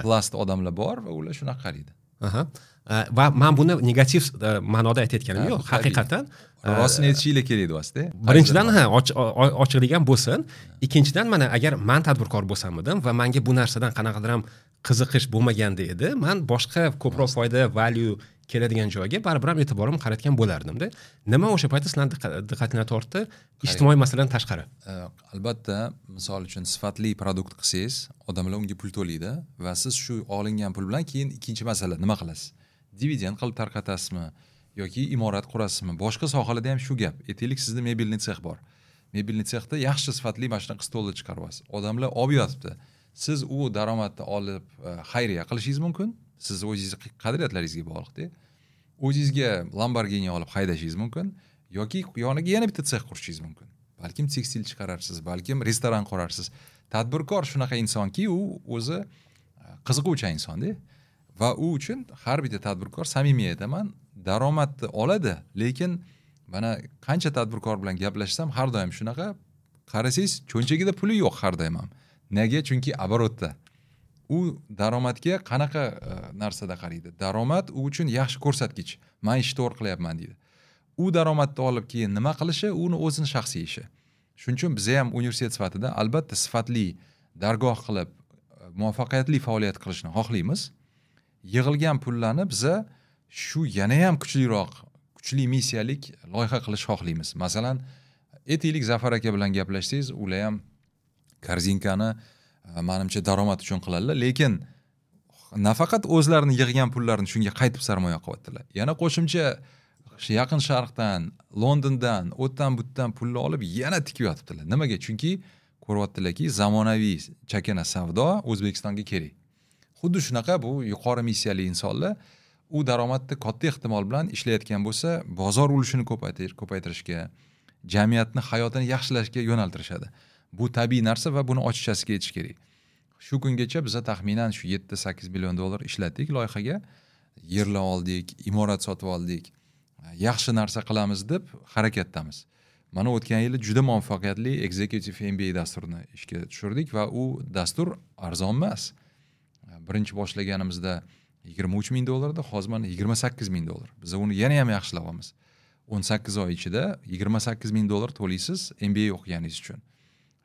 plast odamlar bor va ular shunaqa qaraydi. Va men buni negativ ma'noda aytayotganim yo'q, haqiqatan rostini aytishinglar kerak deyapsiz-da. Birinchidan, ha, ochiqlik ham bo'lsin. Ikkinchidan, mana agar man tadbirkor bo'lsam edim va menga bu narsadan qanaqadir ham qiziqish bo'lmaganda edi, man boshqa ko'proq foyda, value keladigan joyga baribir ham e'tiborimni qaratgan bo'lardim-da. Nima o'sha paytda sizlarni diqqatinglarni tortdi ijtimoiy masaladan tashqari? Albatta, misol uchun sifatli продукт qilsangiz, odamlar unga pul to'laydi va siz shu olingan pul bilan keyin ikkinchi masala nima qilasiz? Dividend qilib tarqatasizmi yoki imorat qurasizmi? Boshqa sohalarda ham shu gap. Aytaylik, sizda мебельный цех bor. Мебельный sexda yaxshi sifatli mana shunaqa stollar chiqaryapsiz. Odamlar olib yotibdi. Siz u daromadni olib xayriya qilishingiz mumkin. Siz o'zingizni qadriyatlaringizga bog'liqda. O'zingizga Lamborghini olib haydashingiz mumkin yoki yoniga yana bitta sex qurishingiz mumkin. Balkim tekstil chiqararsiz, balkim restoran qurarsiz. Tadbirkor shunaqa insonki, u o'zi qiziquvchan insonda va u uchun har bitta tadbirkor, samimiy aytaman, daromadni oladi, lekin mana qancha tadbirkor bilan gaplashsam har doim shunaqa, qarasangiz cho'nchagida puli yo'q har doim ham. Nega? Chunki оборот da. U daromadga qanaqa narsada qaraydi? Daromad u uchun yaxshi ko'rsatkich. Men ishni to'g'ri qilyapman deydi. U daromadni olib keyin nima qilishi uni o'zini shaxsiy ishi. Shuning uchun biz ham universitet sifatida albatta sifatli dargoh qilib muvaffaqiyatli faoliyat qilishni xohlaymiz. Yig'ilgan pullarni biza shu yana ham kuchliroq, kuchli missiyalik loyiha qilish xohlaymiz. Masalan, aytaylik, Zafar aka bilan gaplashsangiz, ular ham korzinkani manimcha daromad uchun qiladilar, lekin nafaqat o'zlarini yig'gan pullarini shunga qaytib sarmoya qilyaptilar. Yana qo'shimcha Yaqin Sharqdan, Londondan, o'tdan butdan pulni olib yana tikib yotibdilar. Nimaga? Chunki ko'ryaptilarki, zamonaviy chakana savdo O'zbekistonga kerak. Xuddi shunaqa bu yuqori missiyali insonlar u daromadni katta ehtimol bilan ishlayotgan bo'lsa, bozor ulushini ko'paytirishga, jamiyatni hayotini yaxshilashga yo'naltirishadi. Bu tabiiy narsa va buni ochiqchasiga aytish kerak. Shu kungacha biza taxminan shu 7-8 million dollar ishlatdik loyihaga. Yerlar oldik, imorat sotib oldik. Yaxshi narsa qilamiz deb harakatdamiz. Mana o'tgan yili juda muvaffaqiyatli Executive MBA dasturini ishga tushirdik va u dastur arzon emas. Birinchi boshlaganimizda 23 ming dollardi, hozir mana 28 ming dollar. Biz uni yana ham yaxshilayapmiz. 18 oy ichida 28 ming dollar to'laysiz MBA o'qiganingiz uchun.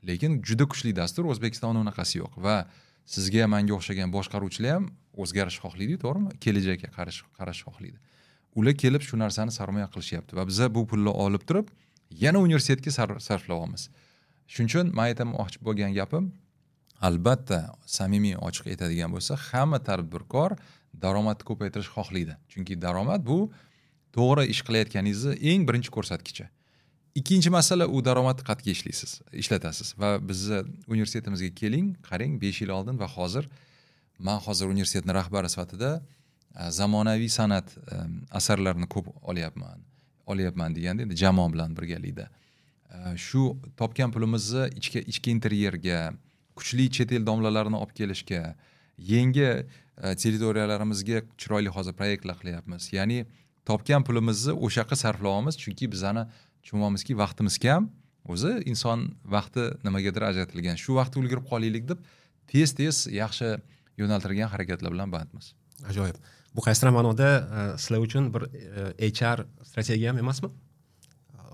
Lekin juda kuchli dastur, O'zbekistonda unaqasi yo'q va sizga, menga o'xshagan boshqaruvchilar ham o'zgarish xohlaydi, to'g'rimi? Kelajakka qarash xohlaydi. Ular kelib shu narsani sarmoya qilishyapti va biza bu pulni olib turib yana universitetga sarflayapmiz. Shuning uchun men aytmoqchi bo'lgan gapim, albatta samimiy ochiq aytadigan bo'lsa, hamma tadbirkor daromadni ko'paytirish xohlaydi. Chunki daromad bu to'g'ri ish qilayotganingizni eng birinchi ko'rsatkichi. Ikkinchi masala, u daromadni qayerga ishlaysiz, ishlatasiz va bizni universitetimizga keling, qarang, 5 yil oldin va hozir men hozir universitetning rahbari sifatida zamonaviy san'at asarlarini ko'p olyapman deganda endi jamoa bilan birgalikda. Shu topgan pulimizni ichki interyerga, kuchli chet el domlalarini olib kelishga, yangi territoriyalarimizga chiroyli hozir proyektlar qilyapmiz. Ya'ni topgan pulimizni o'sha yoqqa sarflayapmiz, chunki bizani tushunyapmizki vaqtimiz kam, o'zi inson vaqti nimagadir ajratilgan. Shu vaqtda ulgurib qolaylik deb tez-tez yaxshi yo'naltirilgan harakatlar bilan bandmiz. Ajoyib. Bu qaysidir ma'noda sizlar uchun bir HR strategiya ham emasmi?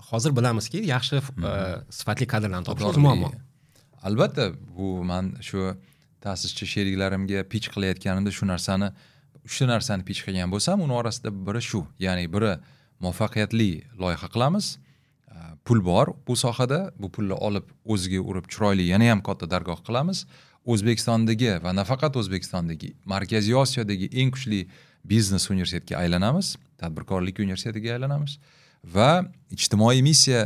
Hozir bilamizki, yaxshi sifatli kadrlarni topish o'zi muammo. Albatta, bu men shu ta'sischi sheriklarimga pitch qilayotganimda shu narsani, uchta narsani pitch qilgan bo'lsam, uni orasida biri shu, ya'ni biri muvaffaqiyatli loyiha qilamiz, pul bor bu sohada, bu pulni olib o'ziga urib chiroyli yana ham katta dargoh qilamiz. O'zbekistondagi va nafaqat O'zbekistondagi, Markaziy Osiyodagi eng kuchli biznes universitetga aylanamiz, tadbirkorlik universitetiga aylanamiz va ijtimoiy missiya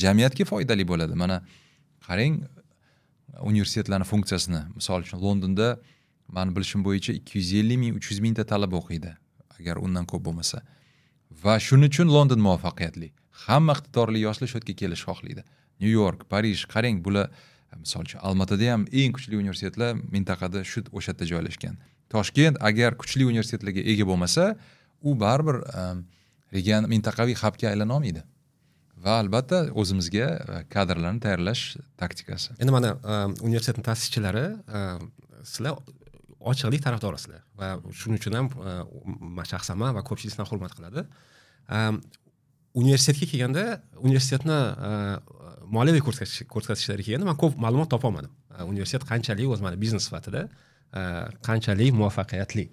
jamiyatga foydali bo'ladi. Mana qarang universitetlarning funksiyasini. Misol uchun Londonda meni bilishim bo'yicha 250 ming, 300 mingta talaba o'qiydi, agar undan ko'p bo'lmasa. Va shuning uchun London muvaffaqiyatli. Hamma iqtidorli yoshlar shu yerga kelishni xohlaydi. Nyu York, Parij, qarang, bular misol uchun Almatada ham eng kuchli universitetlar mintaqada shu o'sha yerda joylashgan. Toshkent agar kuchli universitetlarga ega bo'lmasa, u baribir region mintaqaviy xabga aylana olmaydi. Va albatta o'zimizga kadrlarni tayyorlash taktikasi. Endi mana universitetning ta'sischilari, sizlar Ochiqlik tarafdorisizlar va shuning uchun ham shaxsan man va ko'pchilik sizdan hurmat qiladi. Universitetga kelganda, universitetni moliyaviy ko'rsatkichlariga kelganda man ko'p ma'lumot topa olmadim. Universitet qanchalik o'zi mana biznes sifatida qanchalik muvaffaqiyatli?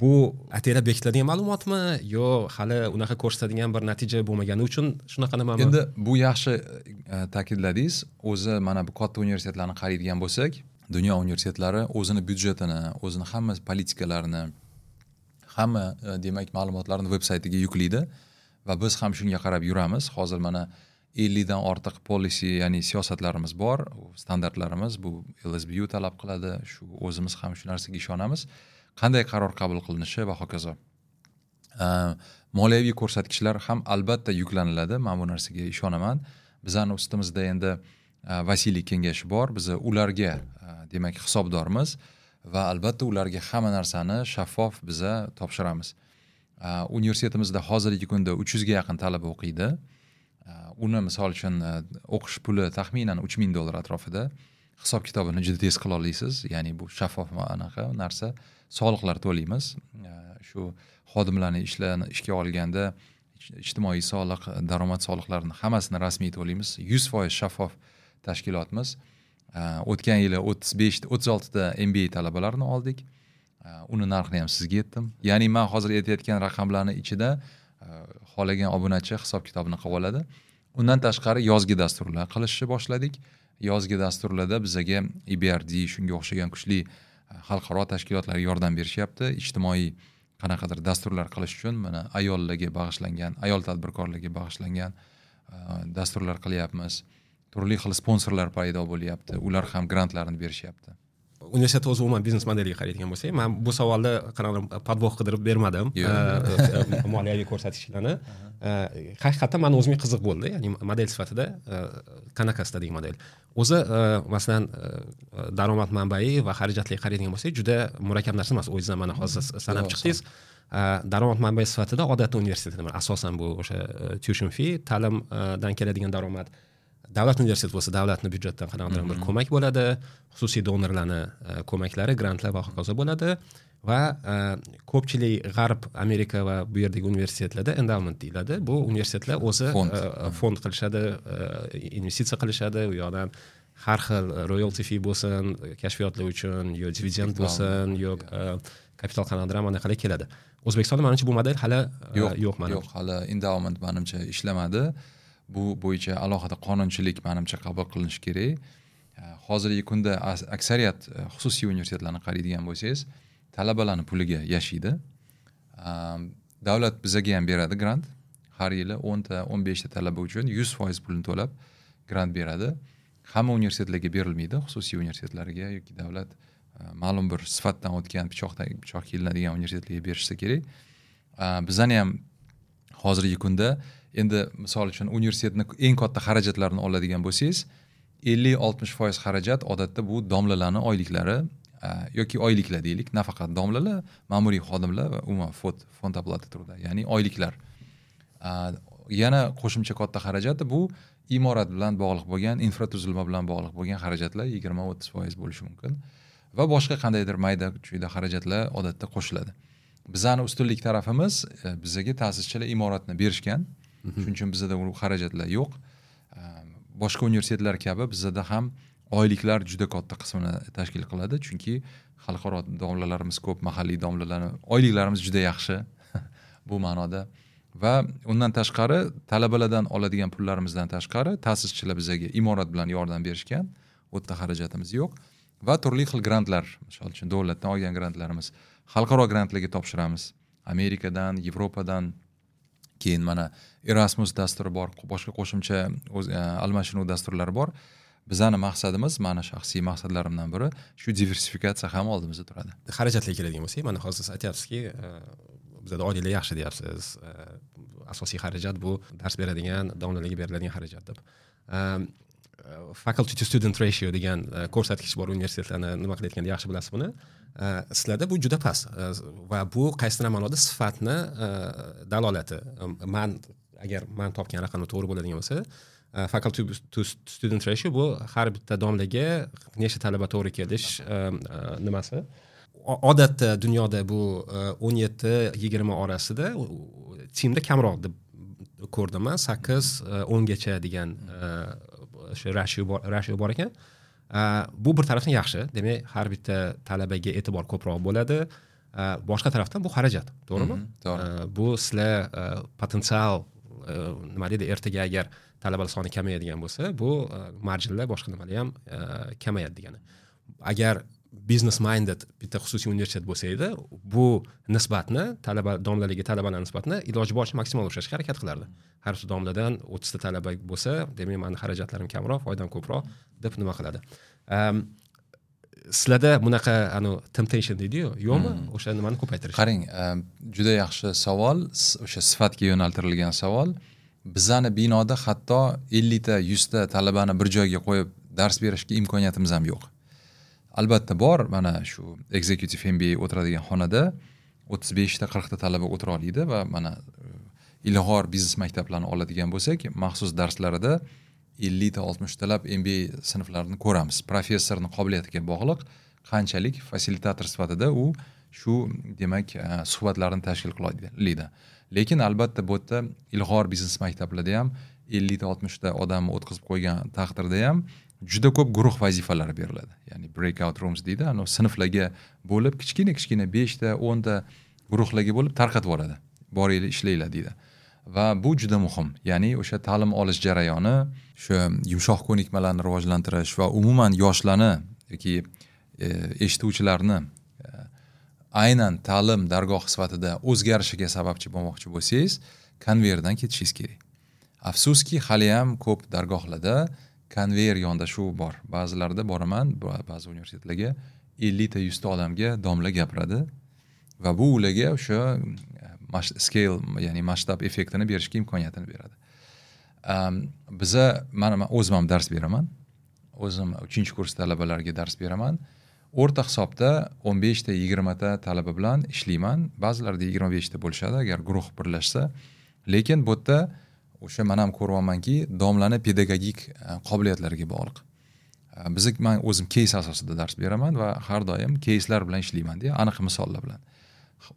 Bu ataylab bekitiladigan ma'lumotmi yo hali unaqa ko'rsatadigan bir natija bo'lmagani uchun shunaqa nimami? Endi bu yaxshi ta'kidladingiz. O'zi mana bu katta universitetlarni qaraydigan bo'lsak, dunyo universitetlari o'zini byudjetini, o'zini hamma politikalarini, hamma demak ma'lumotlarni veb saytiga yuklaydi va biz ham shunga qarab yuramiz. Hozir mana 50 dan ortiq policy, ya'ni siyosatlarimiz bor, standartlarimiz, bu LSBU talab qiladi, shu o'zimiz ham shu narsaga ishonamiz. Qanday qaror qabul qilinishi va hokazo. Moliyaviy ko'rsatkichlar ham albatta yuklaniladi, men bu narsaga ishonaman. Bizning ustimizda endi vasiylik kengashi bor, biz ularga demak hisobdormiz va albatta ularga hamma narsani shaffof biza topshiramiz. Universitetimizda hozirgi kunda 300 ga yaqin talaba o'qiydi. Uni misol uchun o'qish puli taxminan $3000 atrofida. Hisob kitobini juda tez qila olasiz, ya'ni bu shaffof anaqa narsa. Soliqlar to'laymiz. Shu xodimlarni ishga olganda ijtimoiy soliq, daromad soliqlarini hammasini rasmiy to'laymiz. 100% shaffof tashkilotmiz. O'tgan yili 35-36 ta MBA talabalarini oldik. Uni narxini ham sizga aytdim. Ya'ni men hozir aytayotgan raqamlarning ichida xohlagan obunachi hisob kitobini qilib oladi. Undan tashqari yozgi dasturlar qilishni boshladik. Yozgi dasturlarda bizaga EBRD shunga o'xshagan kuchli xalqaro tashkilotlar yordam berishyapti. Ijtimoiy qanaqadir dasturlar qilish uchun mana ayollarga bag'ishlangan, ayol tadbirkorlarga bag'ishlangan dasturlar qilyapmiz. Turli xil sponsorlar paydo bo'lyapti. Ular ham grantlarni berishyapti. Universitet o'zi umuman biznes modeliga qaraydigan bo'lsak, men bu savolda qanaqadir podvox qidirib bermadim, moliyaviy ko'rsatkichlarni. Haqiqatan meni o'zimga qiziq bo'ldi, ya'ni model sifatida qanaqa istading model. O'zi masalan daromad manbai va xarajatlarga qaraydigan bo'lsak, juda murakkab narsa emas. O'zingiz ham mana hozir sanab chiqdingiz. Daromad manbai sifatida odatda universitetda asosan bu o'sha tuition fee, ta'limdan keladigan daromad. Davlat universiteti bo'lsa, davlatni byudjetdan qanaqadir bir ko'mak bo'ladi, xususiy donorlarni ko'maklari, grantlar va hokazo bo'ladi va ko'pchilik G'arb, Amerika va bu yerdagi universitetlarda endowment deyiladi. Bu universitetlar o'zi fond qilishadi, investitsiya qilishadi, u yoqdan har xil royalty fee bo'lsin, kashfiyotlar uchun, yo dividend bo'lsin, yo kapital qanaqadir anaqalar keladi. O'zbekistonda menimcha bu model hali yo'q, manimcha. Yo'q, hali endowment menimcha ishlamadi. Bu bo'yicha alohida qonunchilik menimcha qabul qilinishi kerak. Hozirgi kunda aksariyat xususiy universitetlarni qaraydigan bo'lsangiz, talabalarning puliga yashaydi. Davlat bizaga ham beradi grant. Har yili 10 ta, 15 ta talaba uchun 100% pulini to'lab grant beradi. Hamma universitetlarga berilmaydi, xususiy universitetlarga yoki davlat ma'lum bir sifatdan o'tgan, pichoq kelinadigan universitetlarga berishsa kerak. Bizani ham hozirgi kunda endi misol uchun universitetni eng katta xarajatlarini oladigan bo'lsangiz, 50-60% xarajat odatda bu domlalarning oyliklari yoki oyliklar deylik, nafaqat domlalar, ma'muriy xodimlar va umuman fond оплаты труда, ya'ni oyliklar. Yana qo'shimcha katta xarajati bu imorat bilan bog'liq bo'lgan, infratuzilma bilan bog'liq bo'lgan xarajatlar 20-30% bo'lishi mumkin va boshqa qandaydir mayda-chuyda xarajatlar odatda qo'shiladi. Bizning ustunlik tarafimiz, bizaga ta'sischilar imoratni berishgan. Shuning uchun bizda u xarajatlar yo'q. Boshqa universitetlar kabi bizda ham oyliklar juda katta qismini tashkil qiladi, chunki xalqaro domlalarimiz ko'p, mahalliy domlalarni oyliklarimiz juda yaxshi bu ma'noda. Va undan tashqari talabalardan oladigan pullarimizdan tashqari ta'sischilar bizaga imorat bilan yordam berishgan, u yerda xarajatimiz yo'q va turli xil grantlar, misol uchun davlatdan olgan grantlarimiz, xalqaro grantlarga topshiramiz. Amerikadan, Yevropadan, keyin mana Erasmus dasturi bor, boshqa qo'shimcha almashinuv dasturlari bor. Bizning maqsadimiz, mana shaxsiy maqsadlarimdan biri, shu diversifikatsiya ham oldimizda turadi. Xarajatlarga keladigan bo'lsak, mana hozir siz aytyapsizki, bizda oyliklar yaxshi deyapsiz. Asosiy xarajat bu dars beradigan, domlalarga beriladigan xarajat deb. Faculty to student ratio degan ko'rsatkich bor universitetlarni nima qilayotganda yaxshi bilasiz buni. Sizlarda bu juda past va bu qaysidir ma'noda sifatni dalolati. Man agar man topgan raqamlar to'g'ri bo'ladigan bo'lsa, Faculty to student ratio bu har bitta domlaga nechta talaba to'g'ri kelish nimasi. Odatda dunyoda bu 17-20 orasida, TEAMda kamroq deb ko'rdim man, 8-10gacha degan o'sha ratio bor ekan. Bu bir tarafdan yaxshi, demak har bitta talabaga e'tibor ko'proq bo'ladi. Boshqa tarafdan bu xarajat, to'g'rimi? To'g'ri. Bu sizlar potensial nima deydi, ertaga agar talabalar soni kamayadigan bo'lsa, bu marjinlar, boshqa nimalar ham kamayadi degani. Agar business minded bitta xususiy universitet bo'lsa edi, bu nisbatni, talaba domlaligi talabalar nisbatini iloji boricha maksimal ushlashga harakat qilardi. Har bir domladan 30 ta talaba bo'lsa, demak meni xarajatlarim kamroq, foydam ko'proq deb nima qiladi. Sizlarda bunaqa temptation deydi-yu, yo'qmi? O'sha nimani ko'paytirish. Qarang, juda yaxshi savol, o'sha sifatga yo'naltirilgan savol. Bizani binoda hatto 50 ta, 100 ta talabani bir joyga qo'yib dars berishga imkoniyatimiz ham yo'q. Albatta bor, mana shu executive MBA o'tiradigan xonada 35 ta, 40 ta talaba o'tira oladi va mana ilg'or biznes maktablarini oladigan bo'lsak, maxsus darslarida 50 ta, 60 talab MBA sinflarini ko'ramiz. Professorning qobiliyatiga bog'liq qanchalik fasilitator sifatida u shu, demak, suhbatlarni tashkil qila oladi. Lekin albatta bu yerda ilg'or biznes maktablarida ham 50 ta, 60 ta odamni o'tkazib qo'ygan taqdirda ham juda ko'p guruh vazifalari beriladi. Ya'ni breakout rooms deydi, ana sinflarga bo'lib kichkina-kichkina 5 ta, 10 ta guruhlarga bo'lib tarqatib yuboradi. Boringlar, ishlanglar deydi. Va bu juda muhim. Ya'ni o'sha ta'lim olish jarayoni, o'sha yumshoq ko'nikmalarni rivojlantirish va umuman yoshlarni yoki eshituvchilarni aynan ta'lim dargohi sifatida o'zgarishiga sababchi bo'lmoqchi bo'lsangiz, konveyerdan ketishingiz kerak. Afsuski, hali ham ko'p dargohlarda konveyer yondashuv bor. Ba'zilarda boraman, ba'zi universitetlarga 50 ta, 100 ta odamga domla gapiradi va bu ularga o'sha scale, ya'ni masshtab effektini berishga imkoniyatini beradi. Biza, mana men o'zim ham dars beraman. O'zim 3-kurs talabalariga dars beraman. O'rta hisobda 15 ta, 20 ta talaba bilan ishlayman. Ba'zilarda 25 ta bo'lishadi agar guruh birlashsa. Lekin bu yerda o'sha men ham ko'ryapmanki, domlani pedagogik qobiliyatlariga bog'liq. Men o'zim keys asosida dars beraman va har doim keyslar bilan ishlayman deya, aniq misollar bilan.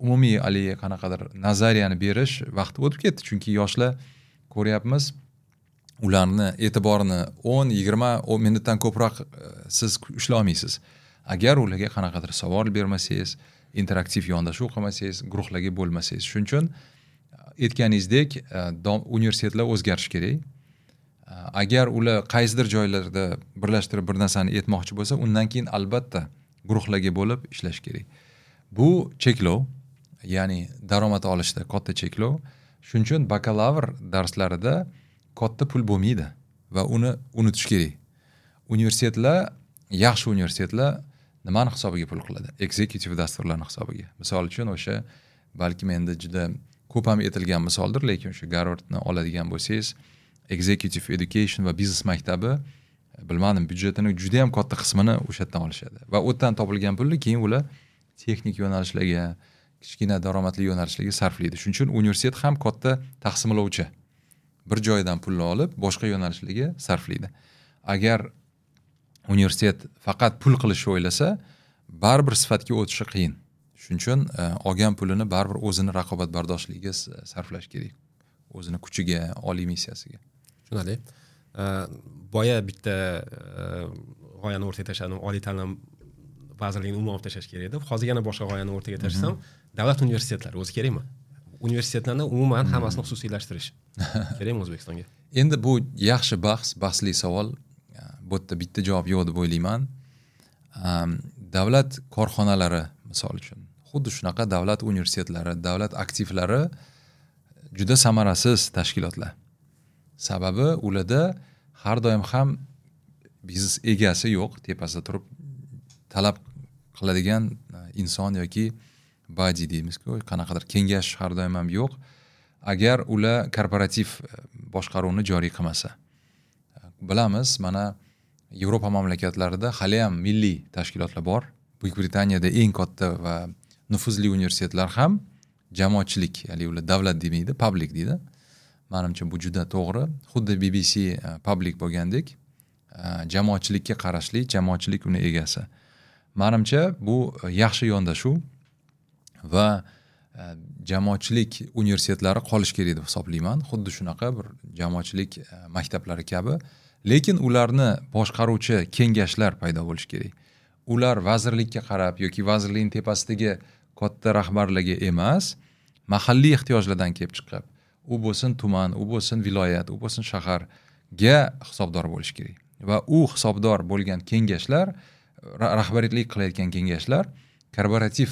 Umumiy haligi qanaqadir nazariyani berish vaqti o'tib ketdi, chunki yoshlar ko'ryapmiz, ularni e'tiborini 10-20 minutdan ko'proq siz ushlay olmaysiz. Agar ularga qanaqadir savol bermasangiz, interaktiv yondashuv qilmasangiz, guruhlarga bo'lmasangiz. Shuning uchun aytganingizdek, universitetlar o'zgarishi kerak. Agar ular qaysidir joylarda birlashtirib bir narsani aytmoqchi bo'lsa, undan keyin albatta guruhlarga bo'lib ishlash kerak. Bu cheklov, ya'ni daromad olishda katta cheklov. Shuning uchun bakalavr darslarida katta pul bo'lmaydi va uni unutish kerak. Universitetlar, yaxshi universitetlar nimani hisobiga pul qiladi? Executive dasturlarning hisobiga. Misol uchun o'sha balkim endi juda ko'p ham aytilgan misoldir, lekin o'sha Garvardni oladigan bo'lsangiz, Executive Education va biznes maktabi, bilmadim, byudjetini juda ham katta qismini o'sha yerdan olishadi. Va u yerdan topilgan pulni keyin ular texnik yo'nalishlarga, kichkina daromadli yo'nalishlarga sarflaydi. Shuning uchun universitet ham katta taqsimlovchi. Bir joydan pulni olib, boshqa yo'nalishlarga sarflaydi. Agar universitet faqat pul qilishni o'ylasa, baribir sifatga o'tishi qiyin. Shuning uchun olgan pulini baribir o'zini raqobatbardoshligiga sarflash kerak. O'zini kuchiga, oliy missiyasiga. Tushunarli. Boya bitta g'oyani o'rtaga tashladim, oliy ta'lim vazirligini umuman olib tashlash kerak deb. Hozir yana boshqa g'oyani o'rtaga tashlasam, davlat universitetlari o'zi kerakmi? Universitetlarni umuman hammasini xususiylashtirish kerakmi O'zbekistonga? Endi bu yaxshi bahs, bahsli savol. Bu yerda bitta javob yo'q deb o'ylayman. Davlat korxonalari misol uchun, xuddi shunaqa davlat universitetlari, davlat aktivlari juda samarasiz tashkilotlar. Sababi ularda har doim ham biznes egasi yo'q, tepasida turib talab qiladigan inson yoki body deymiz-ku, qanaqadir kengash har doim ham yo'q. Agar ular korporativ boshqaruvni joriy qilmasa. Bilamiz, mana Yevropa mamlakatlarida hali ham milliy tashkilotlar bor. Buyuk Britaniyada eng katta va nufuzli universitetlar ham jamoatchilik, ya'ni ular davlat demaydi, public deydi. Manimcha bu juda to'g'ri. Xuddi BBC public bo'lgandek, jamoatchilikka qarashli, jamoatchilik uni egasi. Manimcha bu yaxshi yondashuv va jamoatchilik universitetlari qolish kerak deb hisoblayman. Xuddi shunaqa bir jamoatchilik maktablari kabi, lekin ularni boshqaruvchi kengashlar paydo bo'lishi kerak. Ular vazirlikka qarab yoki vazirlikning tepasidagi katta rahbarlarga emas, mahalliy ehtiyojlardan kelib chiqib, u bo'lsin tuman, u bo'lsin viloyat, u bo'lsin shaharga hisobdor bo'lish kerak. Va u hisobdor bo'lgan kengashlar, rahbariyatlik qilayotgan kengashlar korporativ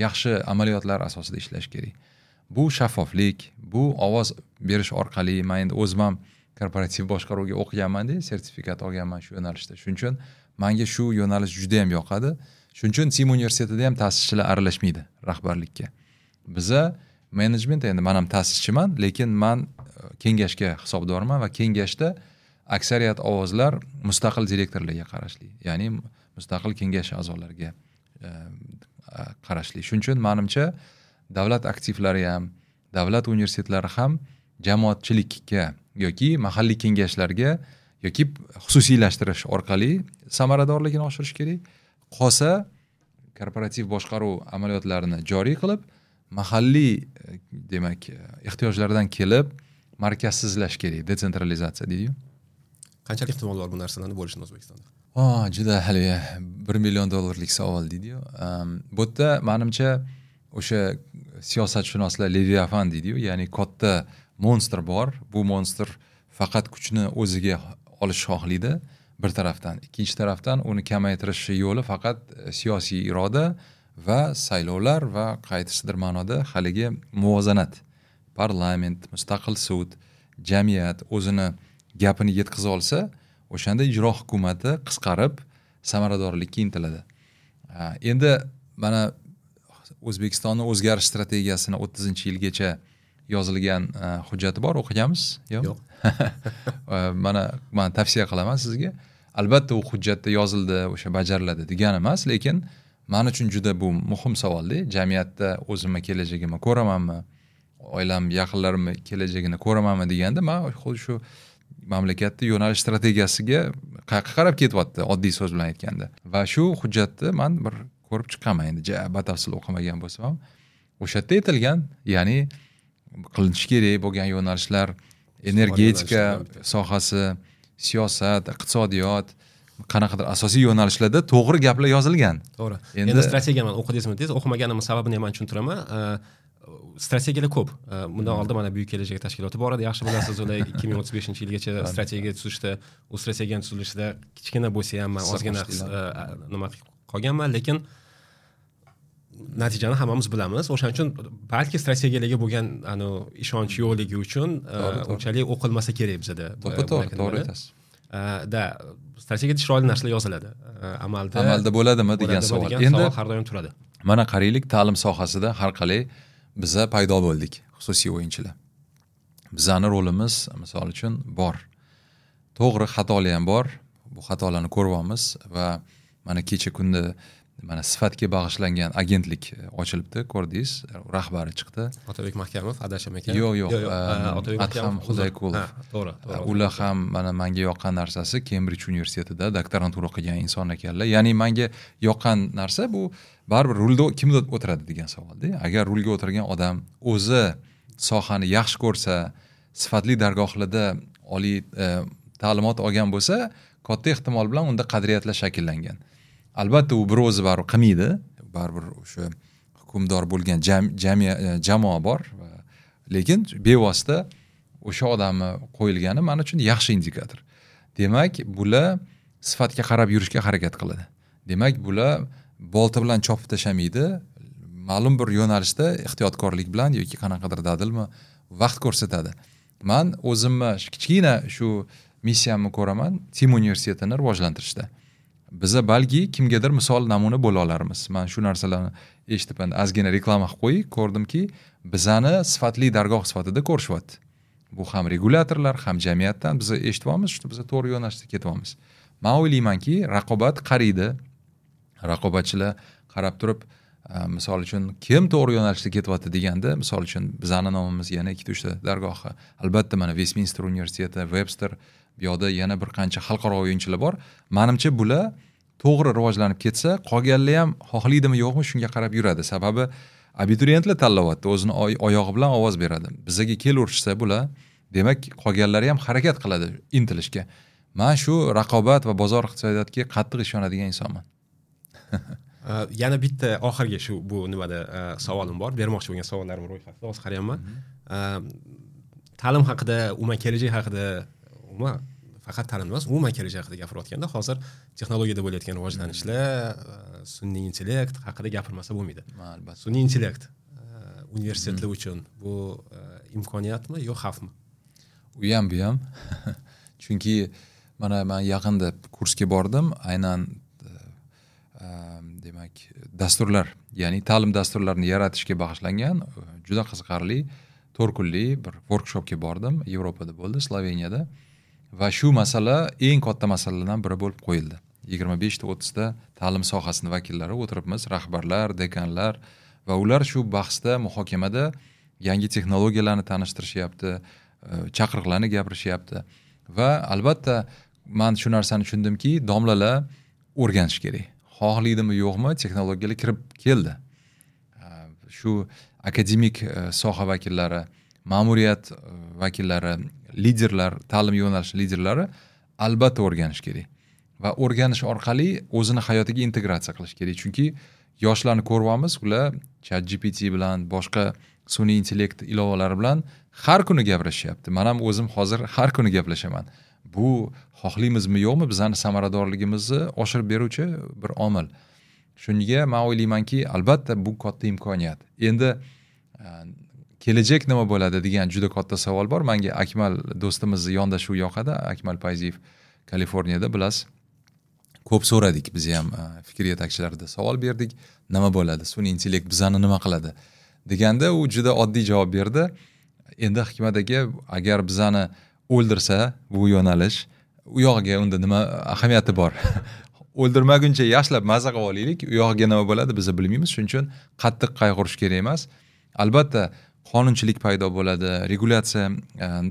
yaxshi amaliyotlar asosida ishlash kerak. Bu shaffoflik, bu ovoz berish orqali. Men endi o'zim ham korporativ boshqaruvga o'qiganman-da, sertifikat olganman shu yo'nalishda. Shuning uchun menga shu yo'nalish juda ham yoqadi. Shuning uchun TIM universitetida ham ta'sischilar aralashmaydi rahbarlikka. Biza menejment, endi men ham ta'sischiman, lekin men kengashga hisobdorman va kengashda aksariyat ovozlar mustaqil direktorlarga qarashli, ya'ni mustaqil kengash a'zolariga qarashli. Shuning uchun menimcha davlat aktivlari ham, davlat universitetlari ham jamoatchilikka yoki mahalliy kengashlarga yoki xususiylashtirish orqali samaradorligini oshirish kerak. Qolsa korporativ boshqaruv amaliyotlarini joriy qilib, mahalliy demak ehtiyojlardan kelib markazsizlash kerak, detsentralizatsiya deydi-yu. Qanchalik ehtimol bor bu narsalarni bo'lishini O'zbekistonda? Juda hali $1 million savol deydi-yu. Bu yerda menimcha o'sha siyosatshunoslar Leviathan deydi-yu, ya'ni katta monstr bor. Bu monstr faqat kuchni o'ziga olish xohlaydi bir tarafdan, ikkinchi tarafdan uni kamaytirish yo'li faqat siyosiy iroda va saylovlar va qaysidir ma'noda haligi muvozanat, parlament, mustaqil sud, jamiyat o'zini gapini yetkaza olsa, o'shanda ijro hukumati qisqarib samaradorlikka intiladi. Endi mana O'zbekistonni o'zgarish strategiyasini 30-yilgacha yozilgan hujjati bor, o'qiganmiz? Yo'q. Yo'q. Mana men tavsiya qilaman sizga. Albatta u hujjatda yozildi, o'sha bajariladi degani emas, lekin men uchun juda bu muhim savolda. Jamiyatda o'zimni kelajagimni ko'ramanmi, oilam, yaqinlarimni kelajagini ko'ramanmi deganda, men xuddi shu mamlakatda yo'nalish strategiyasiga qayerga qarab ketyapti, oddiy so'z bilan aytganda. Va shu hujjatni men bir ko'rib chiqqanman, endi ja batafsil o'qimagan bo'lsam ham. O'sha yerda aytilgan, ya'ni qilinishi kerak bo'lgan yo'nalishlar, energetika sohasi, siyosat, iqtisodiyot, qanaqadir asosiy yo'nalishlarda to'g'ri gaplar yozilgan. To'g'ri. Endi strategiyani o'qidingizmi deysiz, o'qimaganimning sababini ham tushuntiraman. Strategiyalar ko'p. Bundan oldin mana Buyuk kelajak tashkiloti bor edi, yaxshi bilasiz, ular 2035-yilgacha strategiya tuzishdi. U strategiyani tuzilishida kichkina bo'lsa ham men ozgina nima qilib qolganman, lekin natijani hammamiz bilamiz. O'shaning uchun balki strategiyalarga bo'lgan ishonch yo'qligi uchun unchalik o'qilmasa kerak bizada. To'g'ri aytasiz. Da strategiyada chiroyli narsalar yoziladi. Amalda bo'ladimi degan savol. Endi har doim turadi. Mana qaraylik, ta'lim sohasida har qalay biza paydo bo'ldik, xususiy o'yinchilar. Bizani rolimiz misol uchun bor. To'g'ri, xatolar ham bor. Bu xatolarni ko'ryapmiz va mana kecha kunda mana sifatga bag'ishlangan agentlik ochilibdi, ko'rdingiz, rahbari chiqdi. Otabek Mahkamov, adasham ekan. Yo'q, Adham Xudoyqulov. To'g'ri. Ular ham mana menga yoqqan narsasi Cambridge universitetida doktorantura qilgan inson ekanlar. Ya'ni menga yoqqan narsa bu baribir rulda kim o'tiradi degan savolda. Agar rulga o'tirgan odam o'zi sohani yaxshi ko'rsa, sifatli dargohlarda oliy ta'limot olgan bo'lsa, katta ehtimol bilan unda qadriyatlar shakllangan. Albatta u bir o'zi baribir qilmaydi, baribir o'sha hukmdor bo'lgan jamoa bor, lekin bevosita o'sha odamni qo'yilgani men uchun yaxshi indikator. Demak, bular sifatga qarab yurishga harakat qiladi. Demak, bular bolta bilan chopib tashlamaydi, ma'lum bir yo'nalishda ehtiyotkorlik bilan yoki qanaqadir dadilmi vaqt ko'rsatadi. Men o'zimni kichkina shu missiyamni ko'raman TIM universitetini rivojlantirishda. Biza balki kimgadir misol namuna bo'la olarmiz. Men shu narsalarni eshitib, endi ozgina reklama qilib qo'yay, ko'rdimki, bizani sifatli dargoh sifatida ko'rishyapti. Bu ham regulyatorlar, ham jamiyatdan biz eshityapmiz, shu biz to'g'ri yo'nalishda ketyapmiz. Men o'ylaymanki, raqobat qariydi. Raqobatchilar qarab turib, Misol uchun, kim to'g'ri yo'nalishda ketyapti deganda, misol uchun bizani nomimiz yana 2-3 ta dargohi. Albatta mana Westminster universiteti, Webster, bu yoqda yana bir qancha xalqaro o'yinchilar bor. Menimcha bular to'g'ri rivojlanib ketsa, qolganlar ham xohlaydimi yo'qmi shunga qarab yuradi. Sababi abituriyentlar tanlayapti, o'zini oyog'i bilan ovoz beradi. Bizaga kelaverishsa bular, demak qolganlari ham harakat qiladi intilishga. Men shu raqobat va bozor iqtisodiyotiga qattiq ishonadigan insonman. Yana bitta oxirgi shu bu nimada savolim bor, bermoqchi bo'lgan savollarim ro'yxatida hozir qarayapman. Ta'lim haqida, umuman kelajak haqida, umuman faqat ta'lim emas, umuman kelajak haqida gapirayotganda hozir texnologiyada bo'layotgan rivojlanishlar, sun'iy intellekt haqida gapirmasa bo'lmaydi. Albatta. Sun'iy intellekt universitetlar uchun bu imkoniyatmi yo xavfmi? U ham bu ham. Chunki mana men yaqinda kursga bordim, aynan demak dasturlar, ya'ni ta'lim dasturlarini yaratishga bag'ishlangan juda qiziqarli 4 kunlik bir workshopga bordim. Yevropada bo'ldi, Sloveniyada. Va shu masala eng katta masalalardan biri bo'lib qo'yildi. 25 ta 30 ta ta'lim sohasining vakillari o'tiribmiz, rahbarlar, dekanlar va ular shu bahsda, muhokamada yangi texnologiyalarni tanishtirishyapti, chaqiriqlarni gapirishyapti. Va albatta men shu narsani tushundimki, domlalar o'rganish kerak. Xohlaydimi yo'qmi, texnologiyalar kirib keldi. Shu akademik soha vakillari, ma'muriyat vakillari, liderlar, ta'lim yo'nalishi liderlari albatta o'rganish kerak. Va o'rganish orqali o'zini hayotiga integratsiya qilish kerak. Chunki yoshlarni ko'ryapmiz, ular ChatGPT bilan, boshqa sun'iy intellekt ilovalari bilan har kuni gaplashyapti. Men ham o'zim hozir har kuni gaplashaman. Bu xohlaymizmi yo'qmi, bizning samaradorligimizni oshirib beruvchi bir omil. Shunga men o'ylaymanki, albatta bu katta imkoniyat. Endi kelajak nima bo'ladi degan juda katta savol bor. Menga Akmal do'stimizni yondashuvi yoqadi. Akmal Payziyev Kaliforniyada, bilasiz. Ko'p so'radik, biz ham fikr yetakchilarida savol berdik. Nima bo'ladi? Sun'iy intellekt bizani nima qiladi? Deganda u juda oddiy javob berdi. Endi Hikmat aka, agar bizani o'ldirsa bu yo'nalish, u yog'iga unda nima ahamiyati bor? O'ldirmaguncha yaxshilab maza qilib olaylik, u yog'iga nima bo'ladi biz bilmaymiz. Shuning uchun qattiq qayg'urish kerak emas. Albatta qonunchilik paydo bo'ladi, regulyatsiya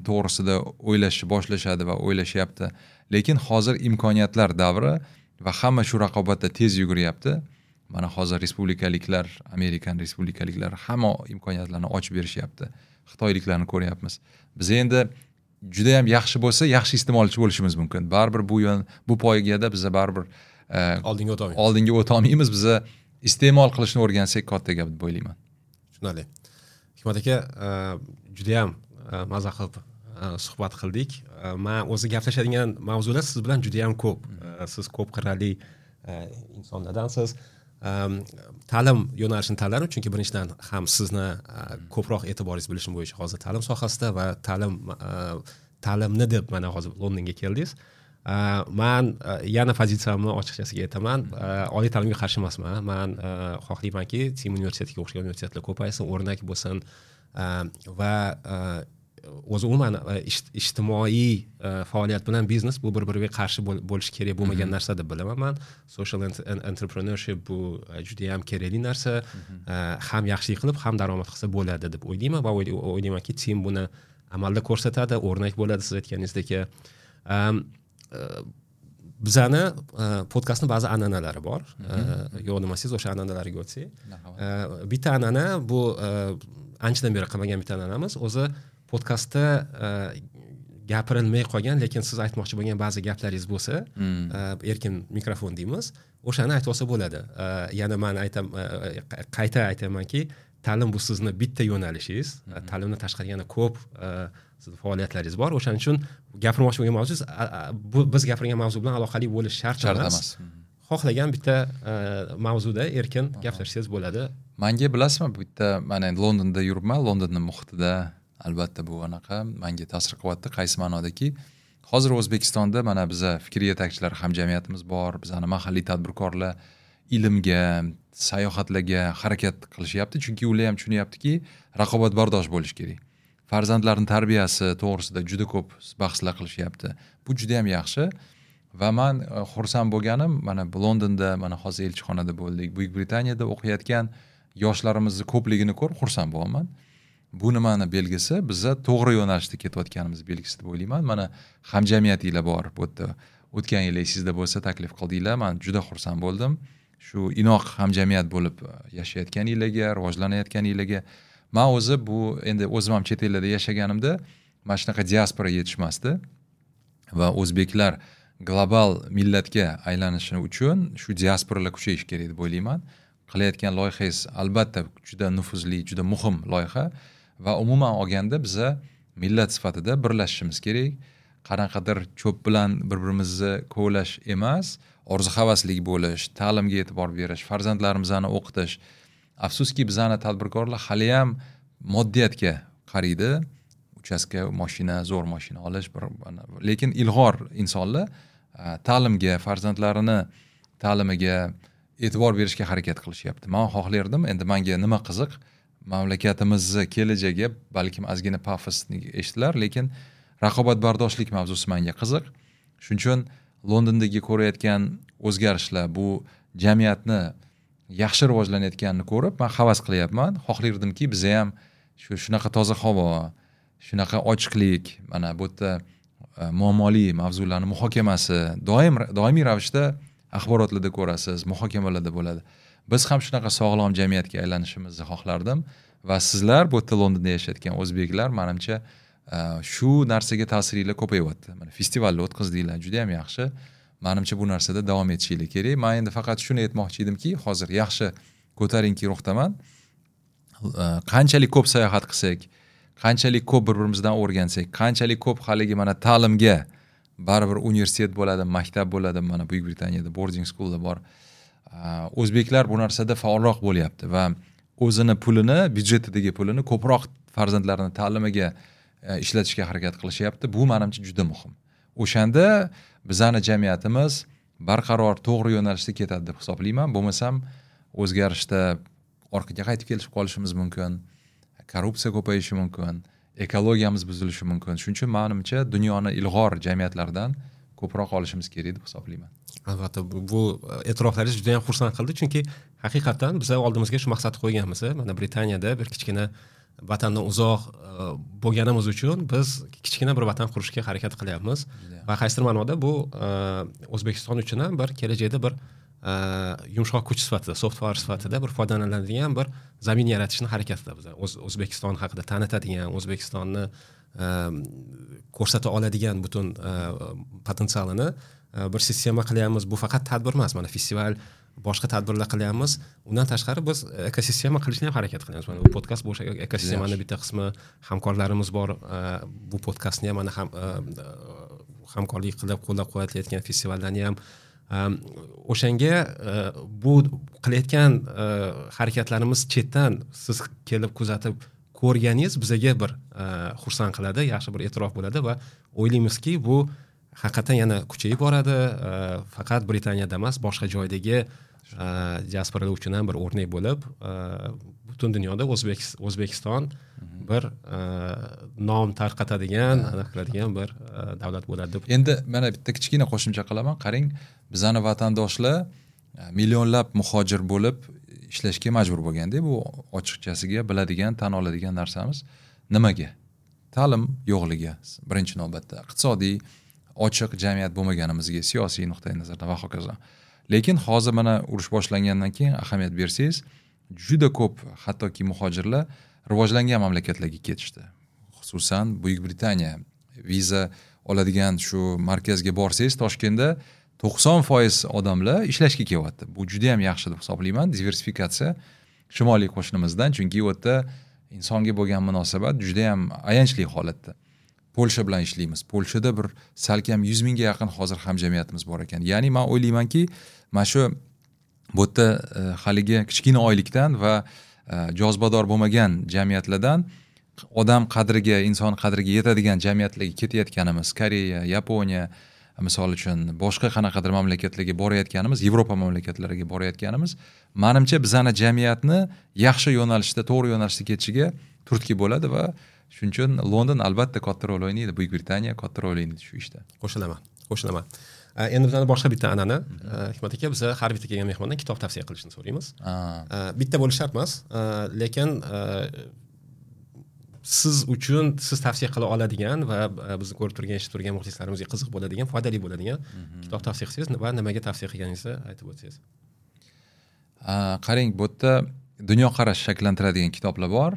to'g'risida o'ylashni boshlashadi va o'ylashyapti. Lekin hozir imkoniyatlar davri va hamma shu raqobatda tez yuguryapti. Mana hozir respublikaliklar, Amerikan respublikaliklari hamma imkoniyatlarni ochib berishyapti. Xitoyliklarni ko'ryapmiz. Biz endi juda ham yaxshi bo'lsa, yaxshi iste'molchi bo'lishimiz mumkin. Baribir bu poygada biz baribir oldinga o'ta olmaymiz. Oldinga o'ta olmaymiz. Biz iste'mol qilishni o'rgansak katta gap deb o'ylayman. Tushunarli. Hikmat aka, juda ham maza qilib suhbat qildik. Men o'zi gaplashadigan mavzular siz bilan juda ham ko'p. Siz ko'p qirrali insonlardansiz. Ta'lim yo'nalishini tanladim, chunki birinchidan ham sizni ko'proq e'tiboringiz bilishim bo'yicha hozir ta'lim sohasida va ta'limni deb mana hozir Londonga keldingiz. Man yana pozitsiyamni ochiqchasiga aytaman, oliy ta'limga qarshi emasman. Man xohlaymanki, Team universitetiga o'xshagan universitetlar ko'paysin, o'rnak bo'lsin va o'zi umuman ijtimoiy faoliyat bilan biznes bu bir-biriga qarshi bo'lishi kerak bo'lmagan narsa deb bilaman man. Social entrepreneurship bu juda ham kerakli narsa. Ham yaxshilik qilib, ham daromad qilsa bo'ladi deb o'ylayman va o'ylaymanki, Team buni amalda ko'rsatadi, o'rnak bo'ladi siz aytganingizdek. Bizani podkastning ba'zi an'analari bor. Yo'q demasangiz o'sha an'analarga o'tsak. Bitta an'ana bu anchadan beri qilmagan bitta an'anamiz. O'zi podkastda gapirilmay qolgan, lekin siz aytmoqchi bo'lgan ba'zi gaplaringiz bo'lsa, erkin mikrofon deymiz, o'shani aytib olsa bo'ladi. Yana men qayta aytamanki, ta'lim bu sizni bitta yo'nalishingiz. Ta'limdan tashqari yana ko'p sizni faoliyatlaringiz bor. O'shaning uchun gapirmoqchi bo'lgan mavzungiz bu biz gapirgan mavzu bilan aloqali bo'lishi shart emas. Xohlagan bitta mavzuda erkin gaplashsangiz bo'ladi. Menga bilasizmi, bitta mana endi Londonda yuribman, Londonning muhitida albatta bu anaqa menga ta'sir qilyapti. Qaysi ma'nodaki, hozir O'zbekistonda mana biza fikr yetakchilar hamjamiyatimiz bor, bizani mahalliy tadbirkorlar ilmga, sayohatlarga harakat qilishyapti, chunki ular ham tushunyaptiki, raqobatbardosh bo'lish kerak. Farzandlarning tarbiyasi to'g'risida juda ko'p bahslar qilishyapti. Bu juda ham yaxshi Va man xursand bo'lganim, mana Londonda, mana hozir elchixonada bo'ldik, Buyuk Britaniyada o'qiyotgan yoshlarimizni ko'pligini ko'rib xursand bo'laman. Bu nimani belgisi? Biza to'g'ri yo'nalishda ketayotganimiz belgisi deb o'ylayman. Mana hamjamiyatinglar bor bu yerda. O'tgan yil esingizda bo'lsa taklif qildinglar, man juda xursand bo'ldim. Shu inoq hamjamiyat bo'lib yashayotganinglarga, rivojlanayotganinglarga. Man o'zi bu endi o'zim ham chet ellarda yashaganimda mana shunaqa diaspora yetishmasdi va o'zbeklar global millatga aylanishi uchun shu diasporalar kuchayishi kerak deb o'ylayman. Qilayotgan loyihangiz albatta juda nufuzli, juda muhim loyiha va umuman olganda biza millat sifatida birlashishimiz kerak. Qanaqadir cho'p bilan bir-birimizni kovlash emas, orzu-havaslik bo'lish, ta'limga e'tibor berish, farzandlarimizni o'qitish. Afsuski bizani tadbirkorlar hali ham moddiyatga qaraydi. Uchastka, mashina, zo'r mashina olish, lekin ilg'or insonlar ta'limga, farzandlarini ta'limiga e'tibor berishga harakat qilishyapti. Men xohlardim, endi menga nima qiziq, mamlakatimizni kelajagi balkim ozgina pafosni eshitilar, lekin raqobatbardoshlik mavzusi menga qiziq. Shuning uchun Londondagi ko'rayotgan o'zgarishlar, bu jamiyatni yaxshi rivojlanayotganini ko'rib, men havas qilyapman. Xohlardimki, biz ham shunaqa toza havo, shunaqa ochiqlik, mana bu yerda muammoli mavzularni muhokamasi doimiy ravishda axborotlarda ko'rasiz, muhokamalarda bo'ladi. Biz ham shunaqa sog'lom jamiyatga aylanishimizni xohlardim va sizlar bu yerda Londonda yashayotgan o'zbeklar, menimcha shu narsaga ta'siringlar ko'payyapti. Mana festivalni o'tkazdinglar, juda ham yaxshi. Menimcha bu narsada davom etishinglar kerak. Men endi faqat shuni aytmoqchi edimki, hozir yaxshi ko'tarinki ruhdaman. Qanchalik ko'p sayohat qilsak, qanchalik ko'p bir-birimizdan o'rgansak, qanchalik ko'p haligi mana ta'limga, baribir universitet bo'ladi, maktab bo'ladi, mana Buyuk Britaniyada boarding schoollar bor. O'zbeklar bu narsada faolroq bo'lyapti va o'zini pulini, byudjetidagi pulini ko'proq farzandlarini ta'limiga ishlatishga harakat qilishyapti. Bu menimcha juda muhim. O'shanda bizani jamiyatimiz barqaror, to'g'ri yo'nalishda ketadi deb hisoblayman. Bo'lmasam o'zgarishda orqaga qaytib kelishib qolishimiz mumkin, korrupsiya ko'payishi mumkin, ekologiyamiz buzilishi mumkin. Shuning uchun menimcha dunyoni ilg'or jamiyatlaridan ko'proq olishimiz kerak deb hisoblayman. Albatta, bu e'tiroflaringiz juda ham xursand qildi, chunki haqiqatan biz oldimizga shu maqsadni qo'yganmiz. Mana Britaniyada bir kichkina vatandan uzoq bo'lganimiz uchun biz kichkina bir vatan qurishga harakat qilyapmiz. Va qaysidir ma'noda bu O'zbekiston uchun ham bir kelajakda bir yumshoq kuch sifatida, soft power sifatida bir foydalaniladigan bir zamin yaratishni harakatida biz. O'zbekiston haqida tanitadigan, O'zbekistonni ko'rsata oladigan butun potensialini bir sistema qilyapmiz. Bu faqat tadbir emas, mana festival, boshqa tadbirlar qilyapmiz. Undan tashqari biz ekosistema qilishni ham harakat qilyapmiz. Mana bu podkast bu o'sha ekosistemani bitta qismi, hamkorlarimiz bor. Bu podkastni ham mana hamkorlik qilib qo'llab-quvvatlayotgan festivallarni ham o'shanga bu qilayotgan harakatlarimiz chetdan siz kelib kuzatib ko'rganingiz bizaga bir xursand qiladi, yaxshi bir e'tirof bo'ladi va o'ylaymizki, bu haqiqatan yana kuchayib boradi. Faqat Britaniyada emas, boshqa joydagi diasporalar uchun ham bir o'rnak bo'lib, butun dunyoda O'zbekiston bir nom tarqatadigan, aniq qiladigan bir davlat bo'ladi deb. Endi mana bitta kichkina qo'shimcha qilaman. Qarang, bizani vatandoshlar millionlab muhojir bo'lib ishlashga majbur bo'lganda, bu ochiqchasiga biladigan, tan oladigan narsamiz. Nimaga? Ta'lim yo'qligi birinchi navbatda, iqtisodiy ochiq jamiyat bo'lmaganimizga, siyosiy nuqtai nazardan va hokazo. Lekin hozir mana urush boshlangandan keyin ahamiyat bersangiz, juda ko'p hattoki muhojirlar rivojlangan mamlakatlarga ketishdi. Xususan Buyuk Britaniya viza oladigan shu markazga borsangiz, Toshkentda 90% odamlar ishlashga kelyapti. Bu juda ham yaxshi deb hisoblayman, diversifikatsiya shimoliy qo'shnimizdan, chunki u yerda insonga bo'lgan munosabat juda ham ayanchli holatda. Polsha bilan ishlaymiz. Polshada bir salkam 100 mingga yaqin hozir hamjamiyatimiz bor ekan. Ya'ni men o'ylaymanki, mana shu bu yerda haligi kichkina oylikdan va jozibador bo'lmagan jamiyatlardan odam qadriga, inson qadriga yetadigan jamiyatlarga ketayotganimiz, Koreya, Yaponiya, misol uchun boshqa qanaqadir mamlakatlarga borayotganimiz, Yevropa mamlakatlariga borayotganimiz, menimcha bizani jamiyatni yaxshi yo'nalishda, to'g'ri yo'nalishda ketishiga turtki bo'ladi va shuning uchun London albatta katta rol o'ynaydi, Buyuk Britaniya katta rol o'ynaydi shu ishda. Qo'shilaman, qo'shilaman. Endi bizani boshqa bitta an'ana, Hikmat aka, biz har bitta kelgan mehmondan kitob tavsiya qilishni so'raymiz. Bitta bo'lishi shart emas, lekin siz uchun siz tavsiya qila oladigan va bizni ko'rib turgan, eshitib turgan muxlislarimizga qiziq bo'ladigan, foydali bo'ladigan kitob tavsiya qilsangiz va nimaga tavsiya qilganingizni aytib o'tsangiz. Qarang, bu yerda dunyoqarash shakllantiradigan kitoblar bor,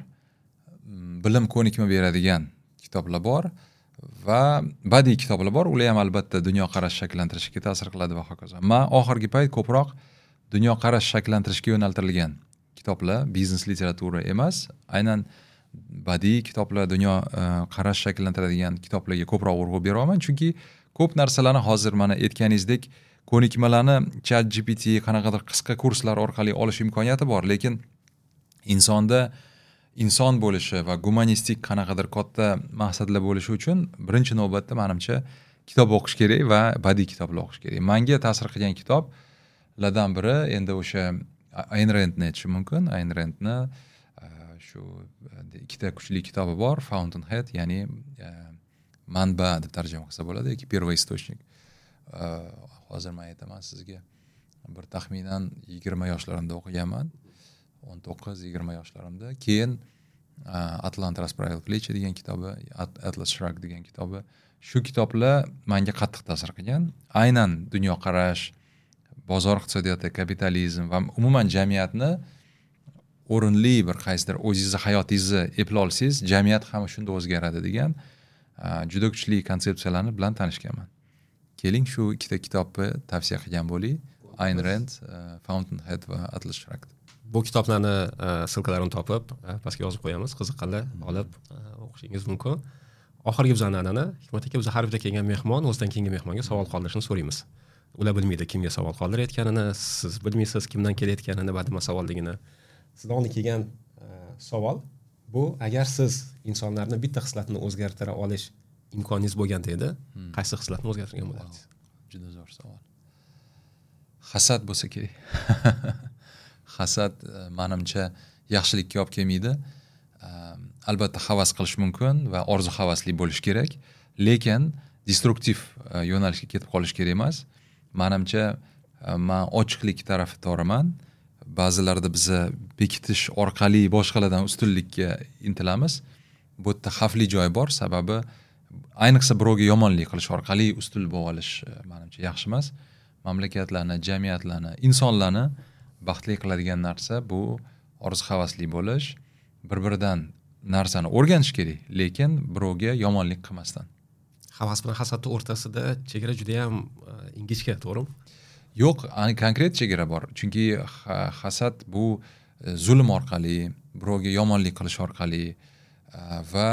bilim ko'nikma beradigan kitoblar bor va badiiy kitoblar bor. Ular ham albatta dunyoqarash shakllantirishga ta'sir qiladi va hokazo. Men oxirgi payt ko'proq dunyoqarash shakllantirishga yo'naltirilgan kitoblar, biznes literatura emas, aynan badiiy kitoblar, dunyo qarash shakllantiradigan kitoblarga ko'proq urg'u beraman, chunki ko'p narsalarni hozir mana aytganingizdek ko'nikmalarni ChatGPT qanaqadir qisqa kurslar orqali olish imkoniyati bor, lekin insonda inson bo'lishi va gumanistik qanaqadir katta maqsadlar bo'lishi uchun birinchi navbatda menimcha kitob o'qish kerak va badiiy kitoblar o'qish kerak. Menga ta'sir qilgan kitoblardan biri endi o'sha Ayn Randni aytishim mumkin. Ayn Randni shu ikkita kuchli kitobi bor, Fountainhead, ya'ni manba deb tarjima qilsa bo'ladi yoki первоисточник. Hozir men aytaman sizga, bir taxminan 20 yoshlarimda o'qiganman. 19-20 yoshlarimda. Keyin Atlant расправил плечи degan kitobi, Atlas Shrugged degan kitobi. Shu kitoblar menga qattiq ta'sir qilgan. Aynan dunyoqarash, bozor iqtisodiyoti, kapitalizm va umuman jamiyatni o'rinli bir qaysidir o'zingizni hayotingizni eplay olsangiz, jamiyat ham shunda o'zgaradi degan juda kuchli konsepsiyalarni bilan tanishganman. Keling, shu ikkita kitobni tavsiya qilgan bo'ling. Ayn Rand, Fountainhead va Atlas Shrugged. Bu kitoblarni ссылка larini topib pastga yozib qo'yamiz, qiziqqanlar olib o'qishingiz mumkin. Oxirgi bizani an'ana, Hikmat aka, biz har bitta kelgan mehmon o'zidan keyingi mehmonga savol qoldirishni so'raymiz. Ular bilmaydi kimga savol qoldirayotganini, siz bilmaysiz kimdan kelayotganini va nima savolligini. Sizdan oldin kelgan savol bu: agar siz insonlarni bitta xislatini o'zgartira olish imkoningiz bo'lganda edi, qaysi xislatni o'zgartirgan bo'lardingiz? Juda zo'r savol. Hasad bo'lsa kerak. Hasad menimcha yaxshilikka olib kelmaydi. Albatta havas qilish mumkin va orzu havasli bo'lish kerak, lekin destruktiv yo'nalishga ketib qolish kerak emas. Menimcha men ochiqlik tarafdoriman. Ba'zilarda biza bekitish orqali boshqalardan ustunlikka intilamiz. Bu yerda xavfli joy bor, sababi ayniqsa birovga yomonlik qilish orqali ustun bo'lib olish menimcha yaxshi emas. Mamlakatlarni, jamiyatlarni, insonlarni baxtli qiladigan narsa bu orzu havasli bo'lish, bir-biridan narsani o'rganish kerak, lekin birovga yomonlik qilmasdan. Havas bilan hasadning o'rtasida chegara juda ham ingichka, to'g'rimi? Yo'q, konkret chegara bor. Chunki hasad bu zulm orqali, birovga yomonlik qilish orqali va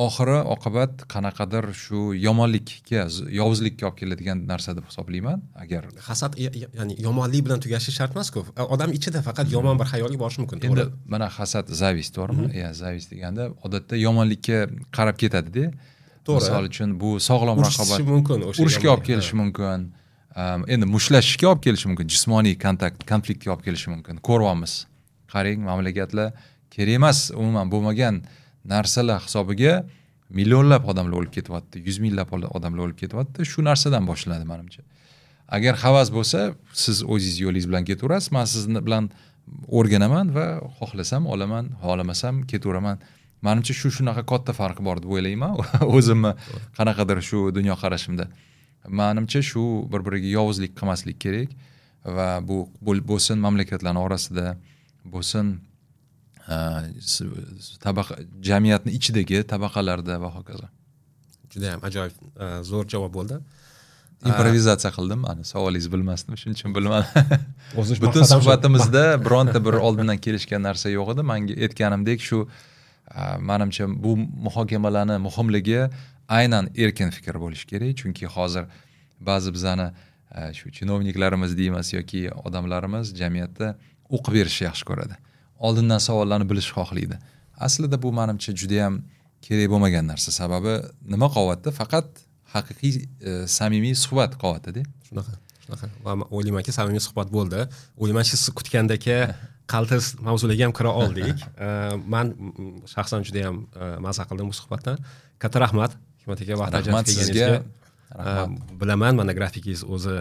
oxiri oqibat qanaqadir shu yomonlikka, yovuzlikka olib keladigan narsa deb hisoblayman. Agar hasad ya'ni yomonlik bilan tugashi shart emas-ku. Odam ichida faqat yomon bir xayolga borishi mumkin, to'g'ri? Endi mana hasad, зависть, to'g'rimi? Ya, зависть deganda odatda yomonlikka qarab ketadi-da. To'g'ri. Misol uchun bu sog'lom raqobat mumkin, o'sha urushga olib kelishi mumkin. Endi mushlashishga olib kelishi mumkin, jismoniy kontakt, konfliktga olib kelishi mumkin. Ko'ryapmiz. Qarang, mamlakatlar kerak emas, umuman bo'lmagan narsalar hisobiga millionlab odamlar o'lib ketyapti, yuz minglab odamlar o'lib ketyapti. Shu narsadan boshlanadi menimcha. Agar havas bo'lsa, siz o'zingiz yo'lingiz bilan ketaverasiz, men sizni bilan o'rganaman va xohlasam olaman, xohlamasam ketaveraman. Menimcha shu shunaqa katta farqi bor deb o'ylayman o'zimni qanaqadir shu dunyoqarashimda. Menimcha shu bir-biriga yovuzlik qilmaslik kerak va bu bo'lsin mamlakatlarning orasida, bo'lsin tabaqa jamiyatning ichidagi tabaqalarda va hokazo. Juda ham ajoyib zo'r javob bo'ldi. Improvizatsiya qildim, ana savolingizni bilmasdim, shuning uchun bilmadim. Butun suhbatimizda bironta bir oldindan kelishgan narsa yo'q edi. Menga aytganimdek shu menimcha bu muhokamalarni muhimligi aynan erkin fikr bo'lishi kerak, chunki hozir ba'zi bizani shu chinovniklarimiz deymiz yoki odamlarimiz jamiyatda o'qib berishni yaxshi ko'radi. Oldindan savollarni bilishni xohlaydi. Aslida bu menimcha juda ham kerak bo'lmagan narsa. Sababi nima qovyapti? Faqat haqiqiy samimiy suhbat qovyapti-da. Shunaqa, shunaqa. Va o'ylaymanki, samimiy suhbat bo'ldi. O'ylaymanki, siz kutgandek qaltis mavzularga ham kira oldik. Men shaxsan juda ham maza qildim bu suhbatdan. Katta rahmat Hikmat aka, vaqt ajratib kelganingizga. Bilaman, mana grafikingiz o'zi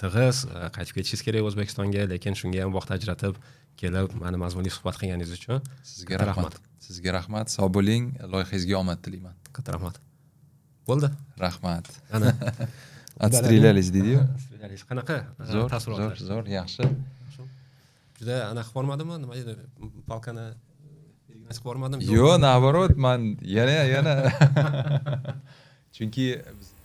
tig'iz, qaytib ketishingiz kerak O'zbekistonga, lekin shunga ham vaqt ajratib kelib, mana mazmunli suhbat qilganingiz uchun sizga rahmat. Sizga rahmat. Sog' bo'ling, loyihangizga omad tilayman. Katta rahmat. Bo'ldi. Rahmat. Ana. Отстрелялись deydi-yu. Отстрелялись. Qanaqa Zo'r, taassurotlar? Zo'r, zo'r, yaxshi. Juda anaqa qilib yubormadimmi? Nima deydi? Палка ni qilib yubormadim? Yo'q, наоборот, man yana chunki bizda